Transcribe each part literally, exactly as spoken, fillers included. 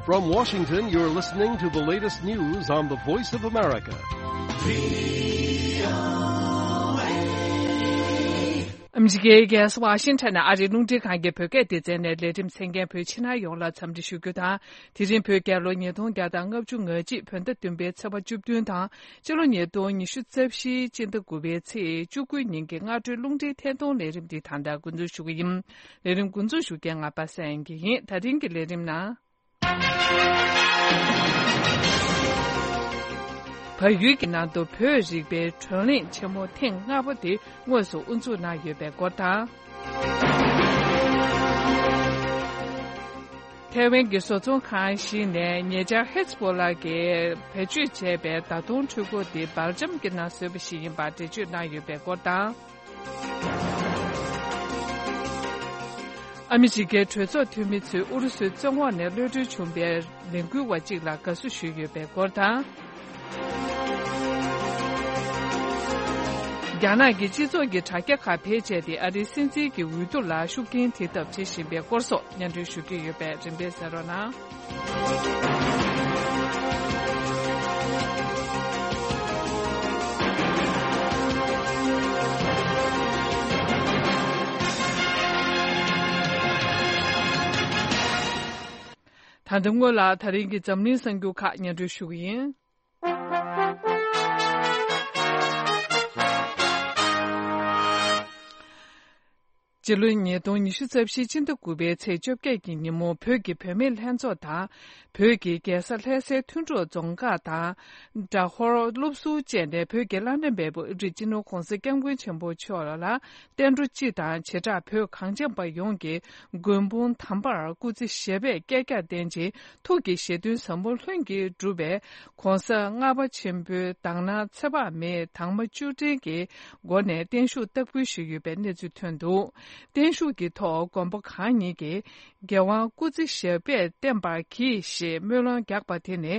From Washington, you're listening to the latest news on the Voice of America. ཨ་མི་རི་ཀའི་རྒྱལ་ས་ཝ་ཤིང་ཊོན་ནས་ཨ་རིའི་རླུང་འཕྲིན་ཁང་གི་བོད་སྐད་སྡེ་ཚན་ནས་ལས་རིམ་གསན་མཁན་བོད་ཕྱི་ནང་ཡོངས་ལ་འཚམས་འདྲི་ཞུ་རྒྱུ་དང་། དེ་རིང་བོད་རྒྱལ་ལོ་ཉིས་སྟོང་བརྒྱ་དང་ལྔ་བཅུ་ང་གཅིག་བོད་ཟླ་བདུན་པའི་ཚེས་པ་བཅུ་བདུན་དང་། སྤྱི་ལོ་ཉིས་སྟོང་ཉི་ཤུ་རྩ་བཞིའི་སྤྱི་ཟླ་དགུ་པའི་ཚེས་བཅུ་དགུ་ཉིན་གྱི་སྔ་དྲོའི་རླུང་འཕྲིན་ཐད་གཏོང་ལས་རིམ་འདི་ད་ལྟ་འགོ་འཛུགས་ཞུ་གི་ཡིན། ལས་རིམ་འགོ་འཛུགས་ཞུ་མཁན་ང་པ་སངས་སྐྱིད་ཡིན། ད་རིང་གི་ལས་རིམ་ནང་། བལ་ཡུལ་གྱི་ནང་དུ་བོད་རིག་པའི་བགྲོ་གླེང་ཆེན་མོ་ཐེངས་ལྔ་པ་དེ་དངོས་སུ་དབུ་འཛུགས་གནང་ཡོད་པའི་སྐོར་དང་། ཐའེ་ཝན་གྱི་བཟོ་ཚོང་ཁང་ཞིག་ནས་ཉེ་ཆར་ཧེ་ཛ་བྷོ་ལ་གིས་བེད་སྤྱོད་བྱས་པའི་མདའ་མདུང་འཕྲུལ་འཁོར་དེ་སྦེལ་ཇམ་གྱི་ནང་བཟོས་པ་ཞིག་ཡིན་པར་འགྲེལ་བརྗོད་གནང་ཡོད་པའི་སྐོར་དང་། ཨ་མི་རི་ཀའི་གྲོས་ཚོགས་འཐུས་མི་ཚོས་ཨུ་རུ་སུའི་བཙོན་འོག་ནས་གློད་གྲོལ་བྱུང་བའི་ལས་འགུལ་བ་གཅིག་ལ་དགའ་བསུ་ཞུས་ཡོད་པའི་སྐོར་དང་། རྒྱ་ནག་གི་སྤྱི་ཚོགས་ཀྱི་དྲ་རྒྱ་ཁག་བེད་སྤྱད་དེ་ཨ་རིའི་སྲིད་འཛིན་གྱི་འོས་བསྡུ་ལ་ཤུགས་རྐྱེན་ཐེབས་ཐབས་བྱེད་བཞིན་པའི་སྐོར་སོགས་སྙན་སྒྲོན་ཞུ་གི་ཡོད་པས་རིམ་པས་གསན་རོགས་གནང་། ད་ལྟ་སྔོན་ལ་ད་རིང་གི་འཛམ་གླིང་གསར་འགྱུར་ཁག་སྙན་སྒྲོན་ཞུ་གི་ཡིན། སྤྱི་ལོ་ཉིས་སྟོང་ཉི་ཤུ་རྩ་བཞི་སྤྱི་ཟླ་དགུ་པའི་ཚེས་བཅོ་བརྒྱད་ཀྱི་ཉིན་མོ་བོད་ཀྱི་བུད་མེད་ལྷན་ཚོགས་དང་། བོད་ཀྱི་རྒྱལ་ས་ལྷ་སའི་མཐུན་གྲོགས་རྫོང་ཁག་དང་། སྦྲ་ཧོར་སློབ་ཟུར་བཅས་ནས་བོད་ཀྱི་བླ་ན་མེད་པ་ཨེ་ཀྲི་སྤྱི་ནོར་༧གོང་ས་༧སྐྱབས་མགོན་ཆེན་པོ་མཆོག་ལ་བསྟན་འགྲོ་སྤྱི་དང་བྱེ་བྲག་བོད་གངས་ཅན་པ་ཡོངས་ཀྱི་མགོན་དཔུང་དམ་པར་སྐུ་ཚེ་ཞབས་པད་བསྐལ་བརྒྱར་བརྟན་ཅིང་ཐུགས་ཀྱི་བཞེད་དོན་ཟབ་མོ་ལྷུན་གྱིས་གྲུབ་པའི་༧གོང་ས་ལྔ་པ་ཆེན་པོའི་དག་སྣང་ཚེ་དཔག་མེད་དྭངས་མ་བཅུ་སྒྲིལ་གྱི་སྒོ་ནས་བརྟན་བཞུགས་བསྟར་འབུལ་ཞུས་ཡོད་པའི་གནས་ཚུལ་ཐོན་འདུག་བརྟན་བཞུགས་ཀྱི་ཐོག་མགོན་པོ་གང་ཉིད་ཀྱིས་རྒྱལ་དབང་སྐུ་ཚེ་ཞབས་པད་བརྟན་པར་གྱིས་ཞེས་སྨོན་ལམ་བརྒྱབ་པ་དེ་ནི་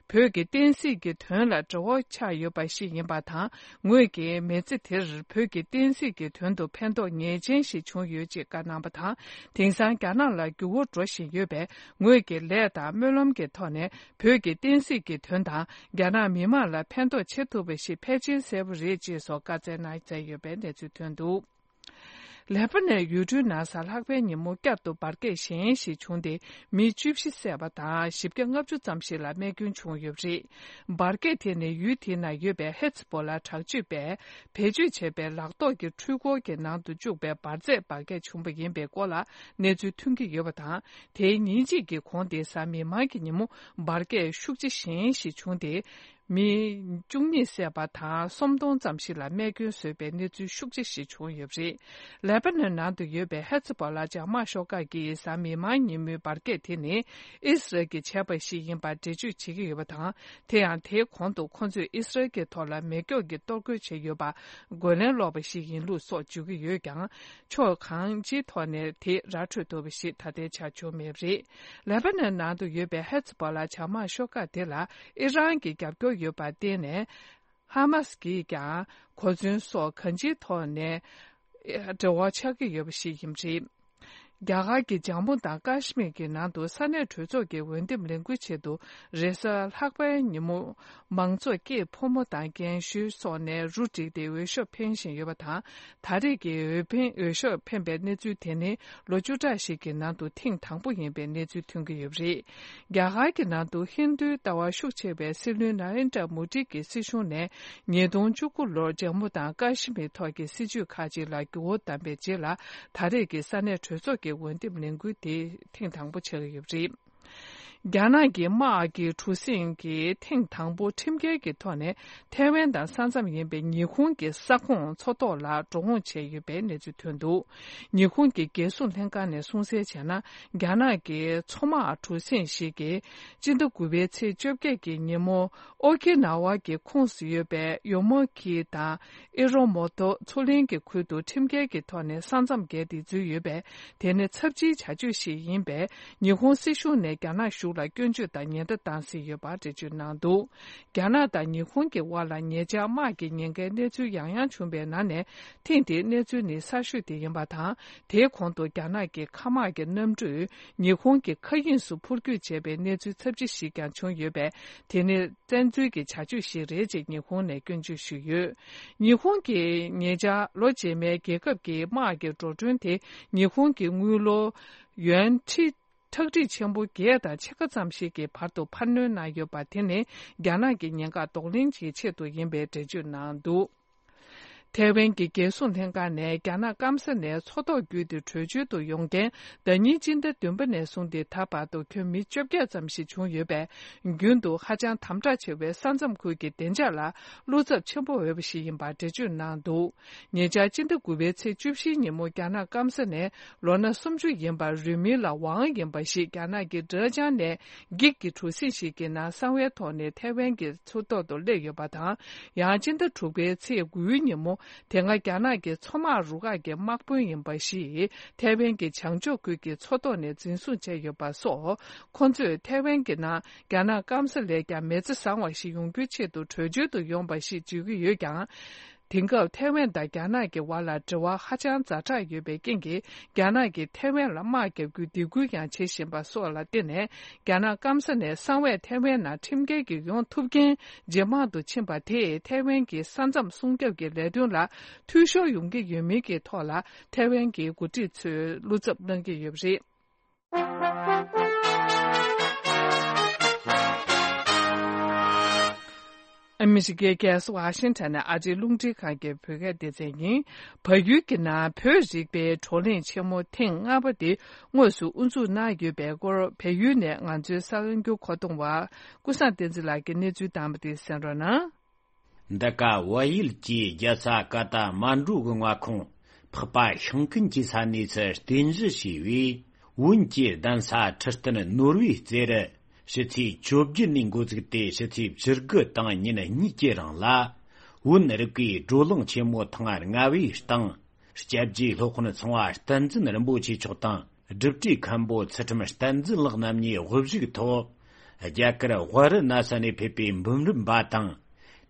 བོད་ཀྱི་བསྟན་སྲིད་ཀྱི་དོན་ལ་འབྲེལ་བ་ཆགས་ཡོད་པ་ཞིག་ཡིན་པ་དང་། ངོས་ཀྱིས་མི་ཚེ་དེར་བོད་ཀྱི་བསྟན་སྲིད་ཀྱི་དོན་དུ་ཕན་ཐོགས་ངེས་ཅན་ཞིག་བྱུང་ཡོད་ཅེས་བཀའ་གནང་བ་དང་། དེང་སང་རྒྱ་ནག་ལ་འགྱུར་བ་འགྲོ་བཞིན་ཡོད་པས། ངོས་ཀྱི་ལས་དང་སྨོན་ལམ་གྱི་ཐོག་ནས་བོད་ཀྱི་བསྟན་སྲིད་ཀྱི་དོན་དང་རྒྱ་ནག་མི་དམངས་ལ་ཕན་ཐོགས་བྱེད་ཐུབ་པ་ཞིག་ཕལ་ཆེར་གསལ་པོ་རེད་ཅེས་སོགས་བཀའ་སྩལ་གནང་མཛད་ཡོད་པའི་གནས་ཚུལ་ཐོན་འདུག་ལེ་པ་ནན་ཡུལ་གྲུའི་ནང་གཟའ་ལྷག་པའི་ཉིན་མོ་བསྐྱར་དུ་འབར་གས་གཞན་ཞིག་བྱུང་སྟེ་མི་བཅུ་བཞི་བསད་པ་དང་བཞི་བརྒྱ་ལྔ་བཅུ་ཙམ་ཞིག་ལ་རྨས་སྐྱོན་བྱུང་ཡོད་པ་རེད། འབར་གས་དེ་ནི་ཡུལ་དེའི་ནང་ཡོད་པའི་ཧེ་ཛ་བྷོ་ལ་དྲག་སྤྱོད་པས་བེད་སྤྱོད་བྱས་པའི་ལག་ཐོགས་ཀྱི་འཕྲུལ་འཁོར་གྱི་ནང་དུ་བཅུག་པའི་འབར་རྫས་འབར་གས་བྱུང་བ་ཡིན་པའི་སྐོར་ལ་གནས་ཚུལ་ཐོན་གྱི་ཡོད་པ་དང་། དེའི་ཉིན་གཅིག་གི་གོང་དེ་གཟའ་མིག་དམར་གྱི་ཉིན་མོ་འབར་གས་ཤུགས་ཆེ་གཞན་ཞིག་བྱུང་སྟེ། མི་བཅུ་གཉིས་བསད་པ་དང་སུམ་སྟོང་ཙམ་ཞིག་ལ་རྨས་སྐྱོན་བཟོས་པའི་གནས་ཚུལ་ཤུགས་ཆེ་ཞིག་བྱུང་ཡོད་པ་རེད། ལེ་པ་ནན་ནང་དུ་ཡོད་པའི་ཧེ་ཛ་བྷོ་ལ་འཇབ་དམག་ཤོག་ཁག་གིས་གཟའ་མིག་དམར་ཉིན་མོའི་འབར་གས་དེ་ནི་ཨི་སི་རལ་གྱིས་བྱས་པ་ཞིག་ཡིན་པར་འགྲེལ་བརྗོད་བྱེད་ཀྱི་ཡོད་པ་དང་། དེ་ཡང་དེའི་གོང་དུ་ཁོ་ཚོས་ཨི་སི་རལ་གྱི་ཐོག་ལ་མེ་སྒྱོགས་ཀྱིས་གཏོར་རྒོལ་བྱས་ཡོད་པར་རྒོལ་ལན་སློག་པ་ཞིག་ཡིན་ལུགས་སོགས་བརྗོད་ཀྱི་ཡོད་ཀྱང་། ཕྱོགས་གང་ཅིའི་ཐོག་ནས་དེ་ར་འཕྲོད་ཐུབ་པ་ཞིག་ད་ལྟའི་ཆར་བྱུང་མེད་པ་རེད། ལེ་པ་ནན་ནང་དུ་ཡོད་པའི་ཧེ་ཛ་བྷོ་ལ་འཇབ་དམག་ཤོག་ཁག་དེ་ལ་ཨི་རན་གྱི་རྒྱབ་སྐྱོར་ཡོད་པར་བརྟེན་ནས། ཧ་མ་སི་གིས་ཀྱང་གོ་མཚོན་སོགས་གང་ཅིའི་ཐོག་ནས་འབྲེལ་བ་ཆགས་ཀྱི་ཡོད་པ་ཞིག་ཡིན་པ་རེད། རྒྱ་གར་གྱི་ཇམ་མུ་དང་ཀ་ཤི་མིར་གྱི་ནང་དུ་ས་གནས་གྲོས་ཚོགས་ཀྱི་འོས་འདེམས་ལས་འགུལ་ཆེད་དུ་རེས་གཟའ་ལྷག་པའི་ཉིན་མོ་མང་ཚོགས་སྐྱེས་ཕོ་མོ་དང་རྒན་ཤོས་སོགས་ནས་རུ་བསྒྲིགས་ཏེ་འོས་ཤོག་འཕེན་བཞིན་ཡོད་པ་དང་། ད་རེས་ཀྱི་འོས་འཕེན་འོས་ཤོག་འཕེན་པའི་གནས་ཚུལ་དེ་ནི་ལོ་བཅུ་ཕྲག་ཞིག་གི་ནང་དུ་ཐེངས་དང་པོ་ཡིན་པའི་གནས་ཚུལ་ཐོན་གྱི་ཡོད་པ་རེད། རྒྱ་གར་གྱི་ནང་དུ་ཧིན་རྡུའི་ལྟ་བ་ཤུགས་ཆེ་བའི་སྲིད་བློན་ན་རེན་དྲ་མོ་དི་གི་སྲིད་གཞུང་ནས་ཉིས་སྟོང་བཅུ་དགུ་ལོར་ཇམ་མུ་དང་ཀ་ཤི་མིར་ཐོག་གི་སྲིད་བྱུས་ཁག་ཅིག་ལ་འགྱུར་བ་བཏང་པའི་རྗེས་ལ་ད་རེས་ཀྱི་ས་གནས་གྲོས་ཚོགས་ཀྱི་འོས་འདེམས་ལས་འགུལ་དེ་ཐེངས་དང་པོ་ཆགས་ཀྱི་ཡོད་པ་རེད། རྒྱ་ནག་གི་དམག་གི་གྲུ་གཟིངས་ཀྱིས་ཐེངས་དང་པོ་ཁྲིམས་འགལ་གྱི་ཐོག་ནས་ཐའེ་ཝན་དང་ས་མཚམས་ཡིན་པའི་ཉི་ཧོང་གི་ས་ཁོངས་མཚོ་ཐོག་ལ་འགྲོ་འོང་བྱས་ཡོད་པའི་གནས་ཚུལ་ཐོན་འདུག་ཉི་ཧོང་གི་རྒྱལ་སྲུང་ལྷན་ཁང་ནས་གསུངས་གསལ་བྱས་ན། རྒྱ་ནག་གི་མཚོ་དམག་གྲུ་གཟིངས་ཤིག་གིས་སྤྱི་ཟླ་དགུ་པའི་ཚེས་བཅོ་བརྒྱད་ཀྱི་ཉིན་མོ་ཨོ་ཁི་ན་ཝ་གི་ཁོངས་སུ་ཡོད་པའི་ཡོ་མོ་ཁི་དང་ཨི་རོ་མོ་ཏོ་མཚོ་གླིང་གི་ཁུལ་དུ་ཁྲིམས་འགལ་གྱི་ཐོག་ནས་ས་མཚམས་བརྒལ་ཏེ་འཛུལ་ཡོད་པས། དེ་ནི་ཚབས་ཆེའི་བྱ་སྤྱོད་ཞིག་ཡིན་པས། ཉི་ཧོང་སྲིད་གཞུང་ནས་རྒྱ་ནག་གཞུང་ ལ་སྐྱོན་བརྗོད་དང་ཉེན་བརྡ་བཏང་སྲིད་ཡོད་པ་འགྲེལ་བརྗོད་གནང་འདུག་རྒྱ་ནག་དང་ཉི་ཧོང་གི་དབར་ལ་ཉེ་ཆར་དམག་གི་ཉེན་ཁའི་གནས་ཚུལ་ཡང་ཡང་བྱུང་བའི་ནང་ནས། ཐེངས་འདིའི་གནས་ཚུལ་ནི་གསར་ཤོས་དེ་ཡིན་པ་དང་། དེའི་གོང་དུ་རྒྱ་ནག་གི་མཁའ་དམག་གི་གནམ་གྲུས་ཉི་ཧོང་གི་མཁའ་དབྱིངས་སུ་འཕུར་སྐྱོད་བྱས་པའི་གནས་ཚུལ་ཚབས་ཆེ་ཞིག་ཀྱང་བྱུང་ཡོད་པས། དེ་ནི་བཙན་འཛུལ་གྱི་བྱ་སྤྱོད་ཞིག་རེད་ཅེས་ཉི་ཧོང་ནས་སྐྱོན་བརྗོད་ཞུས་ཡོད། ཉི་ཧོང་གིས་ཉེ་ཆར་ལོ་རྗེས་མའི་རྒྱལ་ཁབ་ཀྱི་དམག་གི་འགྲོ་གྲོན་དེ་ཉི་ཧོང་གི་དངུལ་ལོར་ཡོན་ཁྲི་ཁྲག་ཁྲིག་ཆེན་པོ་བརྒྱད་དང་ཕྱེད་ཀ་ཙམ་ཞིག་གི་བར་དུ་འཕར་སྣོན་གནང་ཡོད་པ་དེ་ནི་རྒྱ་ནག་གི་ཉེན་ཁ་གདོང་ལེན་གྱི་ཆེད་དུ་ཡིན་པའི་འགྲེལ་བརྗོད་གནང་འདུག་ཐའེ་ཝན་གྱི་རྒྱལ་སྲུང་ལྷན་ཁང་ནས་རྒྱ་ནག་སྐམ་ས་ནས་མཚོ་ཐོག་བརྒྱུད་དེ་བྲོས་བྱོལ་དུ་ཡོང་མཁན་ཟླ་ཉིན་སྤྱི་ཟླ་བདུན་པ་ནས་བཟུང་སྟེ་ད་བར་དུ་ཁྱོན་མི་བཅོ་བརྒྱད་ཙམ་ཞིག་བྱུང་ཡོད་པས། རྒྱུན་དུ་ཧ་ཅང་དམ་དྲག་ཆེ་བའི་ས་མཚམས་ཁུལ་གྱི་བདེ་འཇགས་ལ་བློ་འཚབ་ཆེན་པོ་ཡོད་པ་ཞིག་ཡིན་པར་འགྲེལ་བརྗོད་གནང་འདུག་ཉེ་ཆར་སྤྱི་ཟླ་དགུ་པའི་ཚེས་བཅུ་བཞིའི་ཉིན་མོ་རྒྱ་ནག་སྐམ་ས་ནས་ལོ་ན་སུམ་ཅུ་ཡིན་པ་རུས་མིང་ལ་ཝང་ཡིན་པ་ཞིག་རྒྱ་ནག་གི་ཀྲེ་ཅང་ནས་འགྱིག་གི་གྲུ་གཟིངས་ཤིག་གི་ནང་གསང་བའི་ཐོག་ནས་ཐའེ་ཝན་གྱི་མཚོ་ཐོག་ཏུ་སླེབས་ཡོད་པ་དང་། ཡང་སྤྱི་ཟླ་དྲུག་པའི་ཚེས་དགུའི་ཉིན་མོ་དེ་སྔ་རྒྱ་ནག་གི་མཚོ་དམག་རུ་ཁག་གི་དམག་དཔོན་ཡིན་པ་ཞིག་ཐའེ་ཝན་གྱི་བྱང་ཕྱོགས་ཁུལ་གྱི་མཚོ་ཐོག་ནས་འཛིན་བཟུང་བྱས་ཡོད་པ་སོགས། ཁོ་ཚོས་ཐའེ་ཝན་གྱི་ནང་རྒྱ་ནག་སྐམ་ས་ལས་ཀྱང་མི་ཚེ་བཟང་བ་ཞིག་ཡོང་རྒྱུའི་ཆེད་དུ་བྲོས་བྱོལ་དུ་ཡོང་བ་ཞིག་བརྗོད་ཀྱི་ཡོད་ཀྱང་། དེང་སྐབས་ཐའེ་ཝན་དང་རྒྱ་ནག་གི་བར་ལ་འབྲེལ་བ་ཧ་ཅང་ཛ་དྲག་ཡོད་པའི་རྐྱེན་གྱིས། རྒྱ་ནག་གིས་ཐའེ་ཝན་ལ་དམག་བརྒྱབ་རྒྱུའི་སྡིགས་སྐུལ་ཡང་བྱེད་བཞིན་པ་སོགས་ལ་བརྟེན་ནས། རྒྱ་ནག་སྐམ་ས་ནས་གསང་བས་ཐའེ་ཝན་ནང་ཁྲིམས་འགལ་གྱིས་ཡོང་ཐུབ་མཁན་ཇེ་མང་དུ་ཕྱིན་པ་དེས་ཐའེ་ཝན་གྱི་ས་མཚམས་སྲུང་སྐྱོབ་ཀྱི་ལས་དོན་ལ་འཐུས་ཤོར་ཡོང་གི་ཡོད་མིན་གྱི་ཐོག་ལ། ཐའེ་ཝན་གྱི་འགོ་ཁྲིད་ཚོས་བློ་འཚབ་གནང་གི་ཡོད་པ་རེད། ཨ་མི་རི་ཀའི་རྒྱལ་ས་ཝ་ཤིང་ཊོན་ནས་ཨ་རིའི་རླུང་འཕྲིན་ཁང་གི་བོད་སྐད་སྡེ་ཚན་ཡིན། བལ་ཡུལ་གྱི་ནང་བོད་རིག་པའི་བགྲོ་གླེང་ཆེན་མོ་ཐེངས་ལྔ་པ་དེ་དངོས་སུ་དབུ་འཛུགས་གནང་ཡོད་པའི་སྐོར། བལ་ཡུལ་ནས་ང་ཚོའི་གསར་འགྱུར་མཁོ་གཏོང་བ་ཀུན་བཟང་བསྟན་འཛིན་ལགས་ཀྱིས་གནས་ཚུལ་དང་པོ་དེ་གསན་རོགས་གནང་། འདི་ག་བལ་ཡུལ་གྱི་རྒྱལ་ས་ཀ་ཐ་མན་གྲུ་གི་མངའ་ཁོངས་འཕགས་པ་ཤིང་ཀུན་གྱི་ས་གནས་སུ་རྟེན་གཞི་བྱས་པའི་བོན་གྱི་གདན་ས་ཁྲི་སྟེང་ནོར་བུའི་རྩེར། ཕྱི་ཚེས་བཅོ་བརྒྱད་ནས་འགོ་བཙུགས་ཏེ་ཕྱི་ཚེས་བཅུ་དགུ་དང་ཉིན་གཉིས་ཀྱི་རིང་ལ། བོན་རིག་པའི་བགྲོ་གླེང་ཆེན་མོ་ཐེངས་ལྔ་པའི་སྟེང་། སྐྱབས་རྗེ་སློབ་དཔོན་ཚངས་པ་བསྟན་འཛིན་རིན་པོ་ཆེ་མཆོག་དང་། སྒྲུབ་གྲྭའི་མཁན་པོ་ཚུལ་ཁྲིམས་བསྟན་འཛིན་ལགས་རྣམ་གཉིས་དབུ་བཞུགས་ཐོག་རྒྱ་གར་ཝཱ་ར་ཎ་སི་ནས་ཕེབས་པའི་འབུམ་རམས་པ་དང་།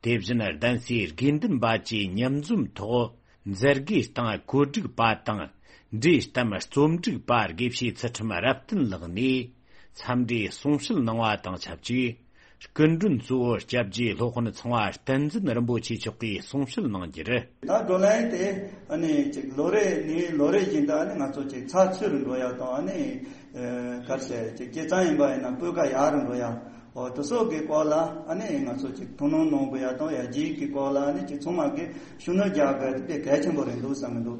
དེ་བཞིན་གདན་སའི་དགེ་འདུན་པ་བཅས་མཉམ་འཛོམས་ཐོག་མཛད་དགེ་དང་གོ་སྒྲིག་པ་དང་། འབྲས་གཏམ་རྩོམ་སྒྲིག་པ་དགེ་བཤེས་ཚུལ་ཁྲིམས་རབ་བརྟན་ལགས་ནས་འཚམས་འདྲིའི་གསུང་བཤད་གནང་བ་དང་ཆབས་ཅིག་སྐུ་མགྲོན་གཙོ་བོ་སྐྱབས་རྗེ་སློབ་དཔོན་ཚངས་པ་བསྟན་འཛིན་རིན་པོ་ཆེ་མཆོག་གིས་གསུང་བཤད་གནང་རྒྱུ་རེད། ད་བགྲོ་གླེང་དེ་ཨ་ནི་ཅིག་ལོ་རེ་ནས་ལོ་རེ་བཞིན་དུ་ཨ་ནི་ང་ཚོ་ཅིག་ཚགས་ཚུད་རུ་འགྲོ་ཡག་དང་། ཨ་ནི་ག་རེ་ཟེར་ཅིག་སྐྱེད་ཚང་ཡིན་པ་ཡིན་ན་སྤུས་ཀ་ཡག་རུ་འགྲོ་ཡག་འོ་དེ་སོགས་ཀྱི་སྐོར་ལ་ཨ་ནི་ང་ཚོ་ཅིག་ཐུགས་སྣང་གནང་དགོས་ཡག་དང་། ཡར་རྒྱས་ཀྱི་སྐོར་ལ་ཨ་ནི་ཅིག་ཚང་མ་གིས་ཤུགས་སྣོན་རྒྱག་དགོས་དེ་དཔེ་གལ་ཆེན་པོ་རེད་འདུག་བསམ་གྱི་འདུག་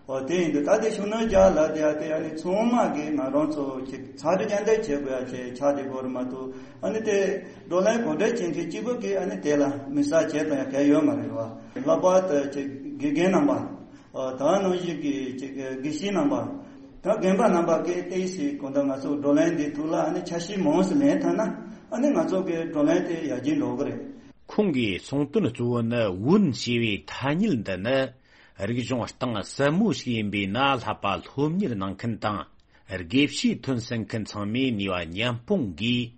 འོ་དེ་ཡིན་དུས་ད་དེ་ཤུགས་སྣོན་རྒྱག་ལ་དེ་ཡ་དེ་ཨ་ནི་ཚང་མ་གིས་ང་རང་ཚོ་ཅིག་ཚགས་སྒྲིག་རྒྱ་འདེགས་བྱེད་དགོས་ཡ་ཆེ་ཆགས་བསྡད་དགོས་རེད་མ་གཏོགས། ཨ་ནི་དེ་བགྲོ་གླེང་གོ་སྒྲིག་བྱེད་མཁན་གཅིག་པུ་གིས་ཨ་ནི་དེ་ལ་དམིགས་བསལ་བྱེད་དང་ཡ་གལ་ཡོད་མ་རེད་བ། ལྷག་པར་དུ་ཅིག་དགེ་རྒན་རྣམ་པ། ད་ནང་བཞིན་གྱི་ཅིག་དགེ་བཤེས་རྣམ་པ། ད་རྒན་པ་རྣམ་པ་གིས་ཏོག་ཙམ་གོ་ད་ང་ཚོ་བགྲོ་གླེང་འདི་ཐོག་ལ་ཨ་ནི་ཆ་ཤས་མང་ཙམ་ལེན་ཐུབ་ན་ཨ་ནི་ང་ཚོ་གི་བགྲོ་གླེང་དེ་ཡར་རྒྱས་འགྲོ་གི་རེད། ཁོང་གིས་གསུངས་དོན་གཙོ་བོ་ནི་བོན་ཞེས་པའི་ཐ་སྙད་འདི་ནི། རིག་གཞུང་གཏིང་ཟབ་མོ་ཞིག་ཡིན་པས་ན། བསླབ་པ་སློབ་གཉེར་གནང་མཁན་དང་། དགེ་བཤེས་ཐོན་ཟིན་མཁན་ཚང་མས་ནུས་པ་མཉམ་སྤུངས་ཀྱིས།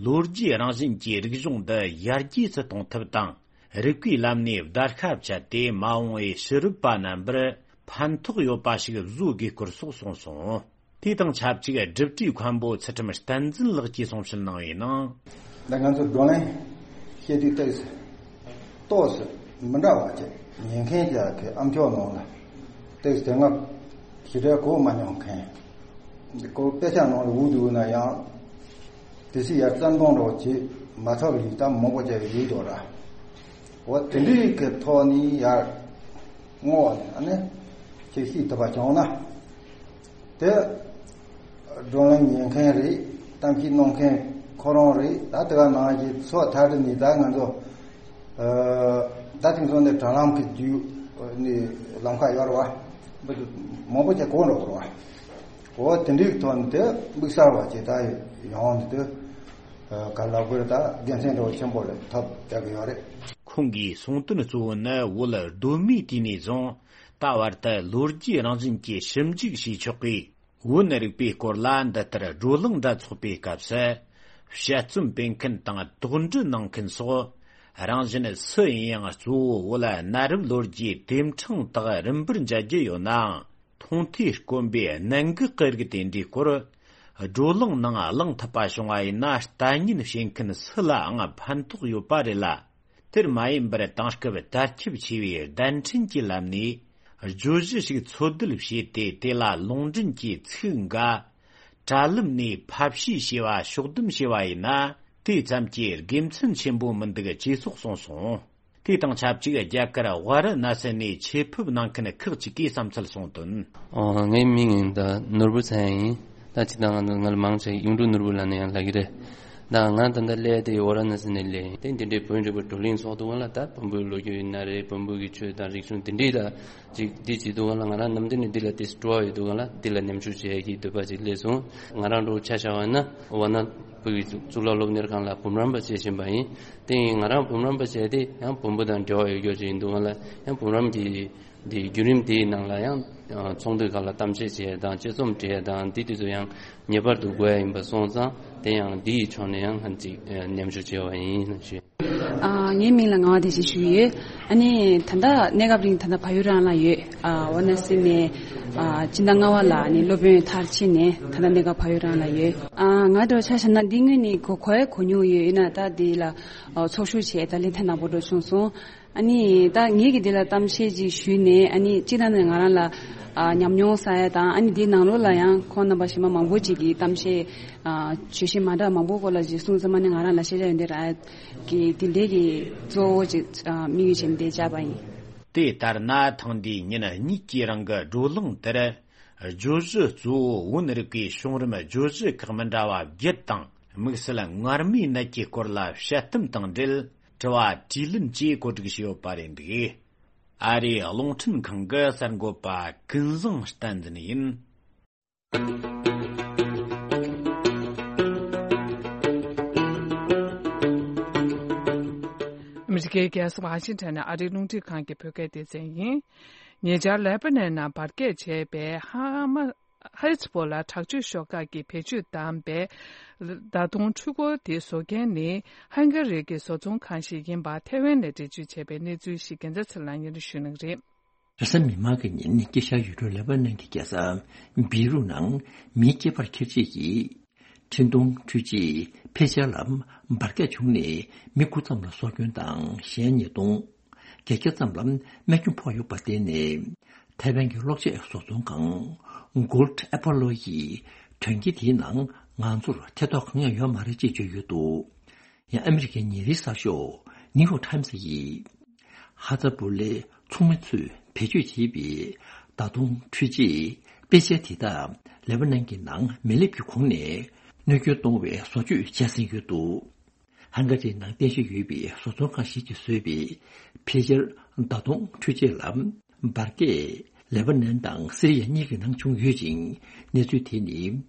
ལོ་རྒྱུས་རང་བཞིན་གྱི་རིག་གཞུང་འདི་ཡར་རྒྱས་སུ་གཏོང་ཐབས་དང་། རིག་པའི་ལམ་ནས་བརྡར་ཤ་བཅད་དེ་མ་འོངས་པའི་ཕྱི་རབས་པ་རྣམ་པར་ཕན་ཐོགས་ཡོད་པ་ཞིག་བཟོ་དགོས་སྐོར་སོགས་གསུངས་སོང་། དེ་དང་ཆབས་ཅིག་སྒྲུབ་གྲྭའི་མཁན་པོ་ཚུལ་ཁྲིམས་བསྟན་འཛིན་ལགས་ཀྱིས་གསུང་བཤད་གནང་བའི་ནང་། ད་ང་ཚོ་བགྲོ་གླེང་བཤད་དུས་ཏོག་ཙམ་ཏོག་ཙམ་མི་འདྲ་བ་ཅིག་ཉན་མཁན་གྱི་ཨ་མཆོག་ནང་ལ་ཏོག་ཙམ་དེ་སྔ་ཞེ་དྲག་གོ་མ་མྱོང་མཁན། ཁོ་དཔེ་ཆ་ནང་ལ་འུ་འདུག་ན་ཡང་དེ་སྲིད་ཡར་བཙན་གཏོང་འདྲ་བོ་བྱེད་མ་ཐུབ་ཡིན་ད་མང་པོ་ཅིག་ཡོད་འགྲོ་ར། འོ་དེ་འདྲའི་གི་ཐོག་ནས་ཡར་བསྔོགས་ནས་ཨ་ནི་ཅིག་ཤེས་ཐུབ་པ་བྱུང་ན། དེ་བགྲོ་གླེང་ཉན་མཁན་རེད། གཏམ་བཤད་གནང་མཁན་ཁོ་རང་རེད། ད་དེ་ག་ནང་བཞིན་སོ་ཐར་དུ་ནི་ད་ང་ཚོ་ད་དེང་སང་ནས་དྲ་ལམ་གྱི་བརྒྱུད་ནས་ལམ་ཁ་ཡོད་རེད་བ། མང་པོ་ཅིག་གོ་འགྲོ་གི་རེད་བ། འོ་དེ་འདྲའི་ཐོག་ནས་དེ་དམིགས་བསལ་བ་ཅིག་ད་ཡོང་ནས་དེ་ག་ལབ་དགོས་རེད། ད་དགེ་མཚན་འདྲ་བོ་ཆེན་པོ་རེད་ཐོབ་བསྡད་ཀྱི་ཡོད་རེད། ཁོང་གིས་གསུངས་དོན་གཙོ་བོ་ནི་བོད་གདོད་མའི་དུས་ནས་བཟུང་ད་བར་དུ་ལོ་རྒྱུས་རང་བཞིན་གྱི་ཞིབ་འཇུག་བྱས་ཆོག་གི། བོད་ནི་རིག་པའི་སྐོར་ལ་འདི་ལྟར་བགྲོ་གླེང་འདྲ་ཚོགས་པའི་སྐབས་སུ། དཔྱད་རྩོམ་སྤེལ་མཁན་དང་དོགས་འདྲི་གནང་མཁན་སོགས། རང་བཞིན་སུ་ཡིན་ཡང་གཙོ་བོ་བོད་གནའ་རབས་ལོ་རྒྱུས་དེབ་ཕྲེང་དག་རིམ་པར་མཇལ་རྒྱུ་ཡོད་ནའང་། མཐོང་ཐོས་དཀོན་པའི་གནད་འགག་གི་རིགས་དེ་འདྲའི་སྐོར། བགྲོ་གླེང་ནང་གླེང་ཐུབ་པ་བྱུང་བ་ཡིན་ན། ལྟ་ཉན་བྱེད་མཁན་སུ་ལའང་ཕན་ཐོགས་ཡོད་པ་རེད་ལ། དེར་མ་ཡིན་པར་དེང་སྐབས་དར་ཁྱབ་ཆེ་བའི་བརྡ་འཕྲིན་གྱི་ལམ་ནས་བརྗོད་གཞི་ཞིག་འཚོལ་བསྡུ་བྱས་ཏེ། དེ་ལ་ལུང་འདྲེན་གྱི་ཚིག་འགའ་དྲ་ལམ་ནས་ཕབ་བཤུས་བྱས་པ་ཕྱོགས་བསྡོམས་བྱས་པ་ཡིན་ན། དེ་ཙམ་གྱིས་དགེ་མཚན་ཆེན་པོ་མི་འདུག་ཅེས་སོགས་གསུངས་སོང་། དེ་དང་ཆབས་ཅིག་རྒྱ་གར་ཝཱ་ར་ཎ་སི་ནས་ཆེད་ཕེབས་གནང་མཁན་ཁག་ཅིག་གིས་བསམ་ཚུལ་གསུངས་དོན། ཨོ། ངའི་མིང་ཡིན་ད་ནོར་བུ་ཚེ་ཡིན། ད་ཅི་ད་ང་ང་ལ་མང་ཆེ་གཡུང་དྲུང་ནོར་བུ་ལབ་ནས་ཡང་ལབ་ཀྱི་རེད། ད་ང་ད་ལྟ་སླེབས་དེ་ཝཱ་ར་ཎ་སི་ནས་སླེབས་ཡིན། དེ་འདི་འདྲའི་བོད་རིག་པ་བགྲོ་གླེང་ཚོགས་འདུ་ག་ལ། ད་བོན་པོའི་ལོ་རྒྱུས་ཡིན་ན་རེད། བོན་པོ་གི་ཆོས་དང་རིག་གཞུང་དེ་འདྲའི་ལ་ཅིག་འདི་བྱེད་འདུག་ག་ལ། ང་རང་ནམ་དེ་ནས་འདི་ལ་དེ་སྤྲོ་བ་ཡོད་འདུག་ག་ལ། འདི་ལ་མཉམ་ཞུགས་བྱེད་ཀྱི་འདོད་པ་ཅིག་སླེབས་སོང་། ང་རང་འགྲོ་ཆ་བཞག་པ་ན་ཝཱ་ཎ་བོད་ཀྱི་གཙུག་ལག་སློབ་གཉེར་ཁང་ལ་འབུམ་རམས་པ་བྱེད་བཞིན་པ་ཡིན། དེ་ཡིན་ང་རང་འབུམ་རམས་པ་བྱས་ཏེ་ཡང་བོན་པོ་དང་འབྲེལ་བ་ཡོད་རྒྱུ་ཅིག་ཡིན་འདུག་ག་ལ། ཡང་འབུམ་རམས་ཀྱི་འདི་བརྒྱུད་རིམ་དེའི་ནང་ལ་ཡང་ཚོགས་འདུའི་སྒང་ལ་གཏམ་བཤད་བྱེད་ཡ་དང་དཔྱད་རྩོམ་འབྲི་ཡ་དང་འདི་དུས་ཚོད་ཡང་ངེས་པར་དུ་དགོས་ཡ་ཡིན་པ་སོང་ཙང་། དེ་ཡང་འདི་ཡི་ཕྱོགས་ནས་ཡང་ང་ཅིག་མཉམ་ཞུགས་བྱས་པ་ཡིན་ཞུ། ཨ། ངའི་མིང་ལ་ངག་དབང་བདེ་ཆེན་ཞུ་ཡོད། ཨ་ནི་ད་ལྟ་གནས་སྐབས་རིང་ད་ལྟ་བལ་ཡུལ་རང་ལ་ཡོད། ཨ། ཝཱ་ར་ཎ་སི་ནས། ཨ། སྤྱི་ཟླ་ལྔ་པ་ལ་ཨ་ནི་སློབ་དཔོན་མཐར་ཕྱིན་ནས་ད་ལྟ་གནས་སྐབས་བལ་ཡུལ་རང་ལ་ཡོད། ཨ། ང་འདྲ་བོ་ཆ་བཞག་ན་འདི་སྔོན་ནས་གོ་གོ་ཡ་གོ་མྱོང་ཡོད། ཡིན་ན་ད་འདི་ལ་ཨ་ཚོགས་ཞུགས་བྱས་ད་ལན་ཐེངས་དང་པོ་འགྲོ་བྱུང་སོང་། ཨ་ནི་ད་ངེད་ཀྱིས་འདི་ལ་གཏམ་བཤད་ཅིག་ཞུས་ནས། ཨ་ནི་སྤྱི་བཏང་ནས་ང་རང་ལ་ཨ་ཉམས་མྱོང་བསགས་ཡ་དང་། ཨ་ནི་འདིའི་ནང་ལོགས་ལ་ཡང་ཁོང་རྣམ་པ་གཞན་མ་མང་པོ་ཅིག་གིས་གཏམ་བཤད་ཨ་བརྗོད་གཞི་མ་འདྲ་མང་པོ་སྐོར་ལ་ཅིག་གསུངས་ཙང་། ཨ་ནི་ང་རང་ལ་ཤེས་བྱ་ཡོན་ཏན་རག་ཡ་གི་དེ་འདྲའི་གི་གཙོ་བོ་ཅིག་ཨ་དམིགས་ཡུལ་བྱས་ནས་འདིར་བཅར་བ་ཡིན། དེ་ལྟར་ན་ཐེངས་འདིའི་ཉིན་གཉིས་ཀྱི་རིང་གི་བགྲོ་གླེང་དེར། བརྗོད་གཞི་གཙོ་བོ་བོན་རིག་པའི་བྱུང་རིམ་བརྗོད་གཞི་ཁག་མི་འདྲ་བ་བརྒྱད་དང་། དམིགས་བསལ་མངལ་མིའི་ནད་ཀྱི་སྐོར་ལ་དཔྱད་གཏམ་དང་འབྲེལ་དྲི་བ་དྲིས་ལན་བཅས་གོ་སྒྲིག་བྱས་ཡོད་པ་རེད་འདུག། ཨ་རིའི་རླུང་འཕྲིན་ཁང་གི་གསར་འགོད་པ་ཀུན་བཟང་བསྟན་འཛིན་ཡིན། ཨ་མི་རི་ཀའི་རྒྱལ་ས་ཝ་ཤིང་ཊོན་ནས་ཨ་རིའི་རླུང་འཕྲིན་ཁང་གི་བོད་སྐད་སྡེ་ཚན་ཡིན། ཉེ་ཆར་ལེ་པ་ནན་ནང་འབར་གས་བྱས་པའི་ཧ་མ། ཧེ་ཛ་བོ་ལ་དྲག་སྤྱོད་ཤོག་ཁག་གིས་བེད་སྤྱོད་བཏང་བའི་མདའ་མདུང་འཕྲུལ་འཁོར་དེ་བཟོ་མཁན་ནི་ཧང་ག་རི་གི་བཟོ་ཚོང་ཁང་ཞིག་ཡིན་པ་ཐེ་ཝན་ནས་འགྲེལ་བརྗོད་བྱས་པའི་གནས་ཚུལ་ཞིག་རྒྱལ་མཚན་ཚེ་རིང་ལགས་སྙན་སྒྲོན་ཞུ་གནང་གི་རེད། རེས་གཟའ་མིག་དམར་གྱི་ཉིན་དཀྱིལ་ཤར་ཡུལ་གྲུ་ལེ་པ་ནན་གྱི་རྒྱལ་ས་བེ་རུ་ནང་མིའི་སྐྱེས་པར་འཁྱེར་བྱེད་ཀྱི་འཕྲིན་གཏོང་འཕྲུལ་ཆས་ཕེ་ཇར་ལ་འབར་གས་བྱུང་ནས་མི་དགུ་ཙམ་ལ་སྲོག་སྐྱོན་དང་གཞན་ཉེས་གཏོང་། བརྒྱད་བརྒྱ་ཙམ་ལ་རྨས་སྐྱོན་ཕོག་ཡོད་པར་བརྟེན་ནས། ཐའེ་ཝན་གྱི་གློག་ཆས་བཟོ་ཚོང་ཁང་Gold Apollo་ཡིས་དོན་རྐྱེན་དེའི་ནང་ང་ཚོར་ཐེ་གཏོགས་གང་ཡང་ཡོད་མ་རེད་ཅེས་བརྗོད་ཡོད་འདུག། ཡང་ཨ་མི་རི་ཀའི་ཉིན་རེའི་གསར་ཤོག་New York Times་ཡིས། ཧ་ཛ་པུ་ལའི་ཚོང་མི་ཚོས་བེད་སྤྱོད་བྱས་པའི་མདའ་མདུང་འཕྲུལ་ཆས་པེ་ཇར་དེ་དག་ལེ་པ་ནན་གྱི་ནང་མེ་ལེབ་ཀྱི་གོང་ནས་གནོད་སྐྱོན་གཏོང་བའི་བཟོ་བཅོས་བྱས་ཟིན་ཡོད་འདུག། ཧང་ག་རིའི་ནང་རྟེན་གཞི་ཡོད་པའི་བཟོ་ཚོང་ཁང་ཞིག་གིས་བཟོས་པའི་ཕེ་ཇར་མདའ་མདུང་འཕྲུལ་ཆས་ལ་འབར་གས་ལེ་པ་ནན་དང་སི་རི་ཡ་གཉིས་ཀྱི་ནང་བྱུང་ཡོད་ཅིང་། གནས་ཚུལ་དེ་ནི་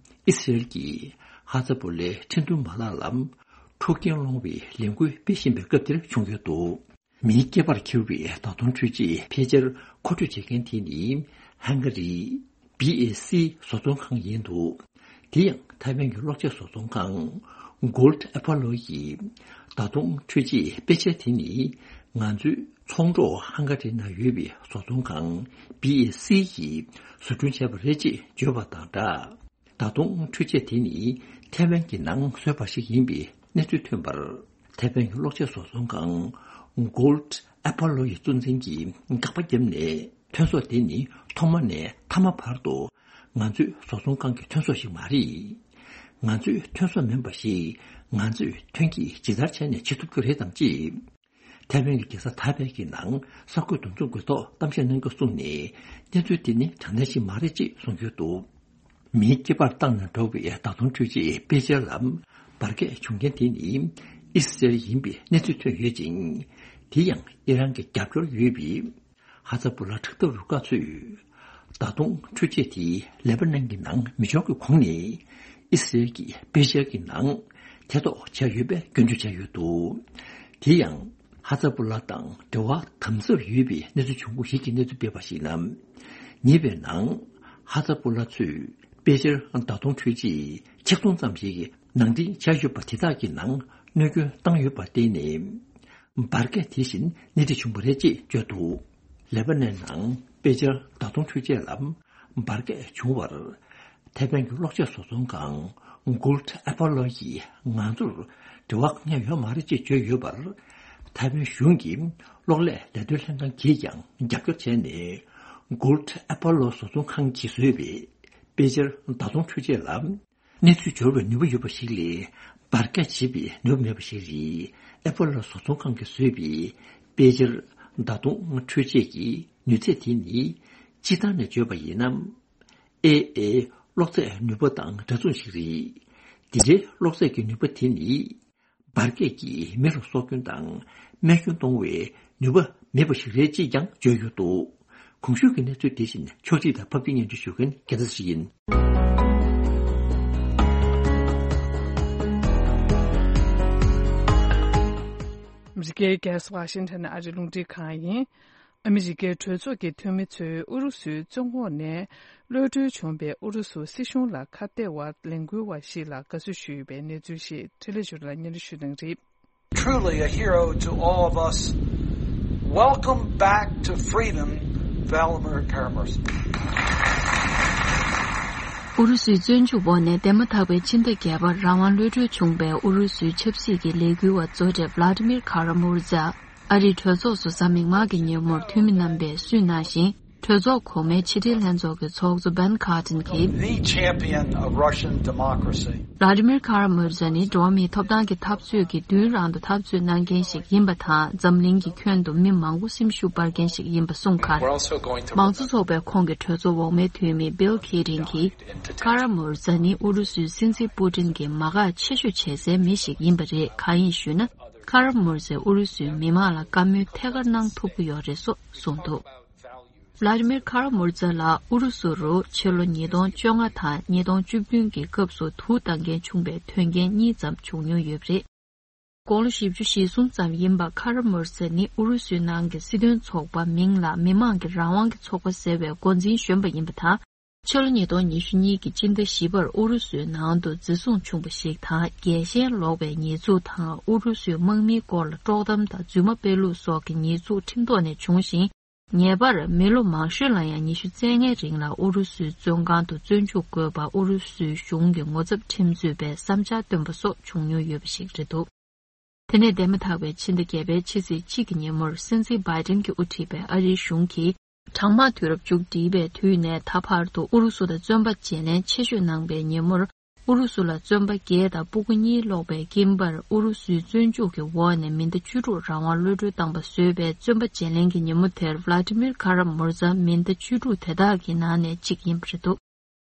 ཨི་སི་རེལ་གྱིས་ཧ་ཛ་པུ་ལའི་འཕྲིན་གཏོང་མ་ལག་ལ་འཁྲུག་རྐྱེན་སློང་བའི་ལས་འགུལ་སྤེལ་བཞིན་པའི་སྐབས་དེར་བྱུང་ཡོད་འདུག། མིའི་སྐེད་པར་འཁྱེར་བའི་མདའ་མདུང་འཕྲུལ་ཆས་ཕེ་ཇར་མཁོ་སྤྲོད་བྱེད་མཁན་དེ་ནི་ཧང་ག་རིའི་བི་ཨེ་སི་བཟོ་ཚོང་ཁང་ཡིན་འདུག། དེ་ཡང་ཐའེ་ཝན་གྱི་གློག་ཆས་བཟོ་ཚོང་ཁང་Gold Apollo་ཡི་མདའ་མདུང་འཕྲུལ་ཆས་པེ་ཇར་དེ་ནི་ང་ཚོའི་ཚོང་གྲོགས་ཧང་ག་རི་ནང་ཡོད་པའི་བཟོ་ཚོང་ཁང་བི་ཨེ་སི་ཡིས་བཟོ་སྐྲུན་བྱས་པ་རེད་ཅེས་བརྗོད་པ་དང་སྦྲགས། མདའ་མདུང་འཕྲུལ་ཆས་དེ་ནི་ཐའེ་ཝན་གྱི་ནང་བཟོས་པ་ཞིག་ཡིན་པའི་གནས་ཚུལ་ཐོན་པར། ཐའེ་ཝན་གྱི་གློག་ཆས་བཟོ་ཚོང་ཁང་Gold Apollo་ཡི་གཙོ་འཛིན་གྱིས་དགག་པ་བརྒྱབ་ནས། ཐོན་ཟོག་དེ་ནི་ཐོག་མ་ནས་མཐའ་མ་བར་དུ་ང་ཚོའི་བཟོ་ཚོང་ཁང་གི་ཐོན་ཟོག་ཞིག་མ་རེད། ང་ཚོའི་ཐོན་ཟོག་མིན་པ་ཞིག་ང་ཚོས་ཐོན་སྐྱེད་ཇི་ལྟར་བྱས་ནས་བྱེད་ཐུབ་ཀྱི་རེད་དམ་ཅེས། ཐའེ་ཝན་གྱི་རྒྱལ་ས་ཐའེ་པེ་གི་ནང་གསར་འགོད་འདུ་འཛོམས་ཀྱི་ཐོག་གཏམ་བཤད་གནང་སྐབས་གསུངས་ནས། གནས་ཚུལ་དེ་ནི་དྲང་གནས་ཤིག་མ་རེད་ཅེས་གསུངས་ཡོད་འདུག། མིའི་སྐེད་པར་བཏང་ནས་འགྲོ་བའི་མདའ་མདུང་འཕྲུལ་ཆས་པེ་ཇར་ལ་འབར་གས་བྱུང་མཁན་དེ་ནི་ཨི་སི་རེལ་ཡིན་པའི་གནས་ཚུལ་ཐོན་ཡོད་ཅིང་། དེ་ཡང་ཨི་རན་གྱི་རྒྱབ་སྐྱོར་ཡོད་པའི་ཧ་ཛ་པུ་ལ་དྲག་འཐབ་རུ་ཁག་ཚོས་མདའ་མདུང་འཕྲུལ་ཆས་དེ་ལེ་པ་ནན་གྱི་ནང་མི་འབྱོར་གྱི་གོང་ནས་ཨི་སི་རེལ་གྱིས་པེ་ཤལ་གྱི་ནང་ཐེ་གཏོགས་བྱས་ཡོད་པའི་སྐྱོན་བརྗོད་བྱས་ཡོད་འདུག། དེ་ཡང་ཧ་ཛ་པུ་ལ་དང་འབྲེལ་བ་དམ་ཟབ་ཡོད་པའི་གནས་ཚུལ་བྱུང་ཁུངས་ཤིག་གིས་གནས་ཚུལ་སྤེལ་བར་གཞིགས་ན། ཉེ་བའི་ནང་ཧ་ཛ་པུ་ལ་ཚོས་པེ་ཤལ་མདའ་མདུང་འཕྲུལ་ཆས་ཆིག་སྟོང་ཙམ་ཞིག་ ནང་འདྲེན་བྱས་ཡོད་པ་དེ་དག་གི་ནང་གནོད་སྐྱོན་བཏང་ཡོད་པར་བརྟེན་ནས། འབར་གས་དེ་བཞིན་སྣེ་ཁྲིད་བྱུང་བ་རེད་ཅེས་བརྗོད་འདུག་ལེ་པ་ནན་ནང་དཔེ་ཆར་ཟླ་སྟོང་འཕྲུལ་ཆས་ལ་འབར་གས་བྱུང་བར། ཐའེ་ཝན་གྱི་གློག་ཆས་བཟོ་ཚོང་ཁང་Gould Apollo་ཡིས་ང་ཚོར་འབྲེལ་བ་གང་ཡང་ཡོད་མ་རེད་ཅེས་བརྗོད་ཡོད་པར། ཐའེ་ཝན་གཞུང་གི་གློག་ལས་ལས་དོན་ལྷན་ཁང་གིས་ཀྱང་རྒྱབ་སྐྱོར་བྱས་ནས། Gould Apollo་བཟོ་ཚོང་ཁང་གིས་བཟོས་པའི་དཔེ་ཆར་ཟླ་སྟོང་འཕྲུལ་ཆས་ལ། གནས་ཚུལ་འབྱོར་བའི་ནུས་པ་ཡོད་པ་ཞིག་ལས། འབར་གས་བྱེད་པའི་ནུས་པ་མེད་པ་ཞིག་རེད། ཨེ་པོ་ལོ་བཟོ་ཚོང་ཁང་གིས་བཟོས་པའི་དཔེ་ཆར་ཟླ་སྟོང་འཕྲུལ་ཆས་ཀྱི་ནུས་ཚད་དེ་ནི། སྤྱིར་བཏང་ནས་བརྗོད་པ་ཡིན་ན། ཨེ་ཨེ་གློག་རྫས་ནུས་པ་དང་འདྲ་མཚུངས་ཤིག་རེད། འདི་འདྲའི་གློག་རྫས་ཀྱི་ནུས་པ་དེ་ནི། འབར་གས་ཀྱིས་མི་ལ་སྲོག་སྐྱོན་དང་རྨས་སྐྱོན་གཏོང་བའི་ནུས་པ་མེད་པ་ཞིག་རེད་ཅེས་ཀྱང་བརྗོད་ཡོད་འདུག་གོང་ཞུས་ཀྱི་གནས་ཚུལ་དེ་བཞིན་ཕྱོགས་སྒྲིག་དང་ཕབ་སྒྱུར་སྙན་སྒྲོན་ཞུ་མཁན་རྒྱལ་མཚན་ཞིག་ཡིན། ཨ་མི་རི་ཀའི་རྒྱལ་ས་ཝ་ཤིང་ཊོན་ཨ་རིའི་རླུང་འཕྲིན་ཁང་ཡིན། ཨ་མི་རི་ཀའི་གྲོས་ཚོགས་ཀྱི་འཐུས་མི་ཚོས་ཨུ་རུ་སུའི་བཙོན་འོག་ནས་གློད་གྲོལ་བྱུང་བའི་ཨུ་རུ་སུ་སྲིད་གཞུང་ལ་ཁ་གཏད་པ་ལས་འགུལ་བ་ཞིག་ལ་དགའ་བསུ་ཞུས་པའི་གནས་ཚུལ་ཞིག་འཕྲིན་ལས་ཞུ་ལ་སྙན་སྒྲོན་ཞུ་གནང་རེད། Truly a hero to all of us. Welcome back to freedom, Vladimir Kara-Murza. ཨུ་རུ་སུའི་བཙོན་འཇུག་འོག་ནས་འདས་མ་ཐག་པའི་ཕྱི་ཟླ་བརྒྱད་པར་རང་དབང་གློད་གྲོལ་བྱུང་བའི་ཨུ་རུ་སུའི་ཆབ་སྲིད་ཀྱི་ལས་འགུལ་བ་གཙོ་གྲས་Vladimir Kara-Murza། ཨ་རིའི་གྲོས་ཚོགས་སུ་གཟའ་མིག་དམར་གྱི་ཉིན་མོར་འཐུས་མི་རྣམ་པས་གསུངས་གནང་བཞིན། གྲོས་ཚོགས་གོང་མའི་ཕྱི་འབྲེལ་ལྷན་ཚོགས་ཀྱི་ཚོགས་གཙོ་Ben Cardin་གྱིས། The champion of Russian democracy. Vladimir Kara-Murza་ནི་འགྲོ་བ་མིའི་ཐོབ་ཐང་གི་འཐབ་རྩོད་ཀྱི་མདུན་རང་དུ་འཐབ་རྩོད་གནང་མཁན་ཞིག་ཡིན་པ་དང་། འཛམ་གླིང་གི་ཁྱོན་དུ་མི་མང་པོ་སེམས་ཤུགས་སྤར་མཁན་ཞིག་ཡིན་པ་གསུངས་ཁར། We're also going to མང་གཙོ་ཚོགས་པའི་ཁོངས་ཀྱི་གྲོས་ཚོགས་འོག་མའི་འཐུས་མི་Bill Keating་གྱིས། Kara-Murza་ནི་ཨུ་རུ་སུའི་སྲིད་འཛིན་པུ་ཏིན་གྱིས་མ་དགའ་ཆེ་ཤོས་བྱེད་སའི་མི་ཞིག་ཡིན་པ་རེད། གང་ཡིན་ཞུས་ན། Kara-Murza་ཨུ་རུ་སུའི་མི་མང་ལ་བཀའ་མོལ་ཐད་ཀར་གནང་ཐུབ་ཀྱི་ཡོད་རེད་སོགས་གསུངས་འདུག Vladimir Kara-Murza་ལ་ཨུ་རུ་སུ་རུ་ཕྱི་ལོ་ཉིས་སྟོང་བཅོ་ལྔ་དང་ཉིས་སྟོང་བཅུ་བདུན་གྱི་སྐབས་སུ་དུག་བཏང་མཁན་བྱུང་བའི་དོན་རྐྱེན་གཉིས་ཙམ་བྱུང་མྱོང་ཡོད་པ་རེད། དགུང་ལོ་བཞི་བཅུ་ཞེ་གསུམ་ཙམ་ཡིན་པ་Kara-Murza་ནི་ཨུ་རུ་སུའི་ནང་གི་སྲིད་དོན་ཚོགས་པ་མིང་ལ་མི་དམངས་ཀྱི་རང་དབང་གི་ཚོགས་པ་ཟེར་བའི་འགོ་འཛིན་གཞོན་པ་ཡིན་པ་དང་། ཕྱི་ལོ་ཉིས་སྟོང་ཉི་ཤུ་གཉིས་ཀྱི་སྤྱི་ཟླ་བཞི་པར་ཨུ་རུ་སུའི་ནང་དུ་འཛིན་བཟུང་བྱུང་བ་ཞིག་དང་། རྒྱལ་ཞེན་ལོག་པའི་ཉེས་འཛུགས་དང་། ཨུ་རུ་སུའི་དམག་མིའི་སྐོར་ལ་དཀྲོག་གཏམ་དང་རྫུན་མ་སྤེལ་ལུགས་སོགས་ཀྱི་ཉེས་འཛུགས་ཁྲིམས་ཐོག་ནས་བྱུང་ཞིང་། ངེས་པར་མི་ལོ་མང་ཤོས་ལ་ཡང་ཉི་ཤུ་རྩ་ལྔའི་རིང་ལ་ཨུ་རུ་སུའི་བཙོན་ཁང་དུ་བཙོན་འཇུག་དགོས་པ་ཨུ་རུ་སུའི་གཞུང་གི་ངོ་ཚབ་ཁྲིམས་རྩོད་པས་བསམ་འཆར་བཏོན་པ་སོགས་བྱུང་མྱོང་ཡོད་པ་ཞིག་རེད་འདུག་དེ་ནས་འདས་མ་ཐག་པའི་ཕྱི་ཟླ་བརྒྱད་པའི་ཕྱི་ཚེས་གཅིག་གི་ཉིན་མོར་སྲིད་འཛིན་བྷའི་ཏིན་གྱིས་དབུ་ཁྲིད་པའི་ཨ་རིའི་གཞུང་གིས། གྲང་དམག་དུས་རབས་མཇུག་བསྒྲིལ་བའི་དུས་ནས་ད་བར་དུ་ཨུ་རུ་སུ་དང་བཙོན་པ་བརྗེ་ལེན་ཆེ་ཤོས་གནང་པའི་ཉིན་མོར། ཨུ་རུ་སུ་ལ་བཙོན་པ་བརྒྱད་དང་སྤུ་གུ་གཉིས་སློག་པའི་དཀྱིལ་འབར་ཨུ་རུ་སུའི་བཙོན་འཇུག་གི་འོག་ནས་མི་ཟླ་བཅུ་དྲུག་རང་དབང་གློད་གྲོལ་བཏང་པ་བཟོས་པའི་བཙོན་པ་བརྗེ་ལེན་གྱི་ཉིན་མོ་དེར་Vladimir Kara-Murza་མི་ཟླ་བཅུ་དྲུག་དེ་དག་གི་ནང་ནས་གཅིག་ཡིན་པ་རེད་འདུག་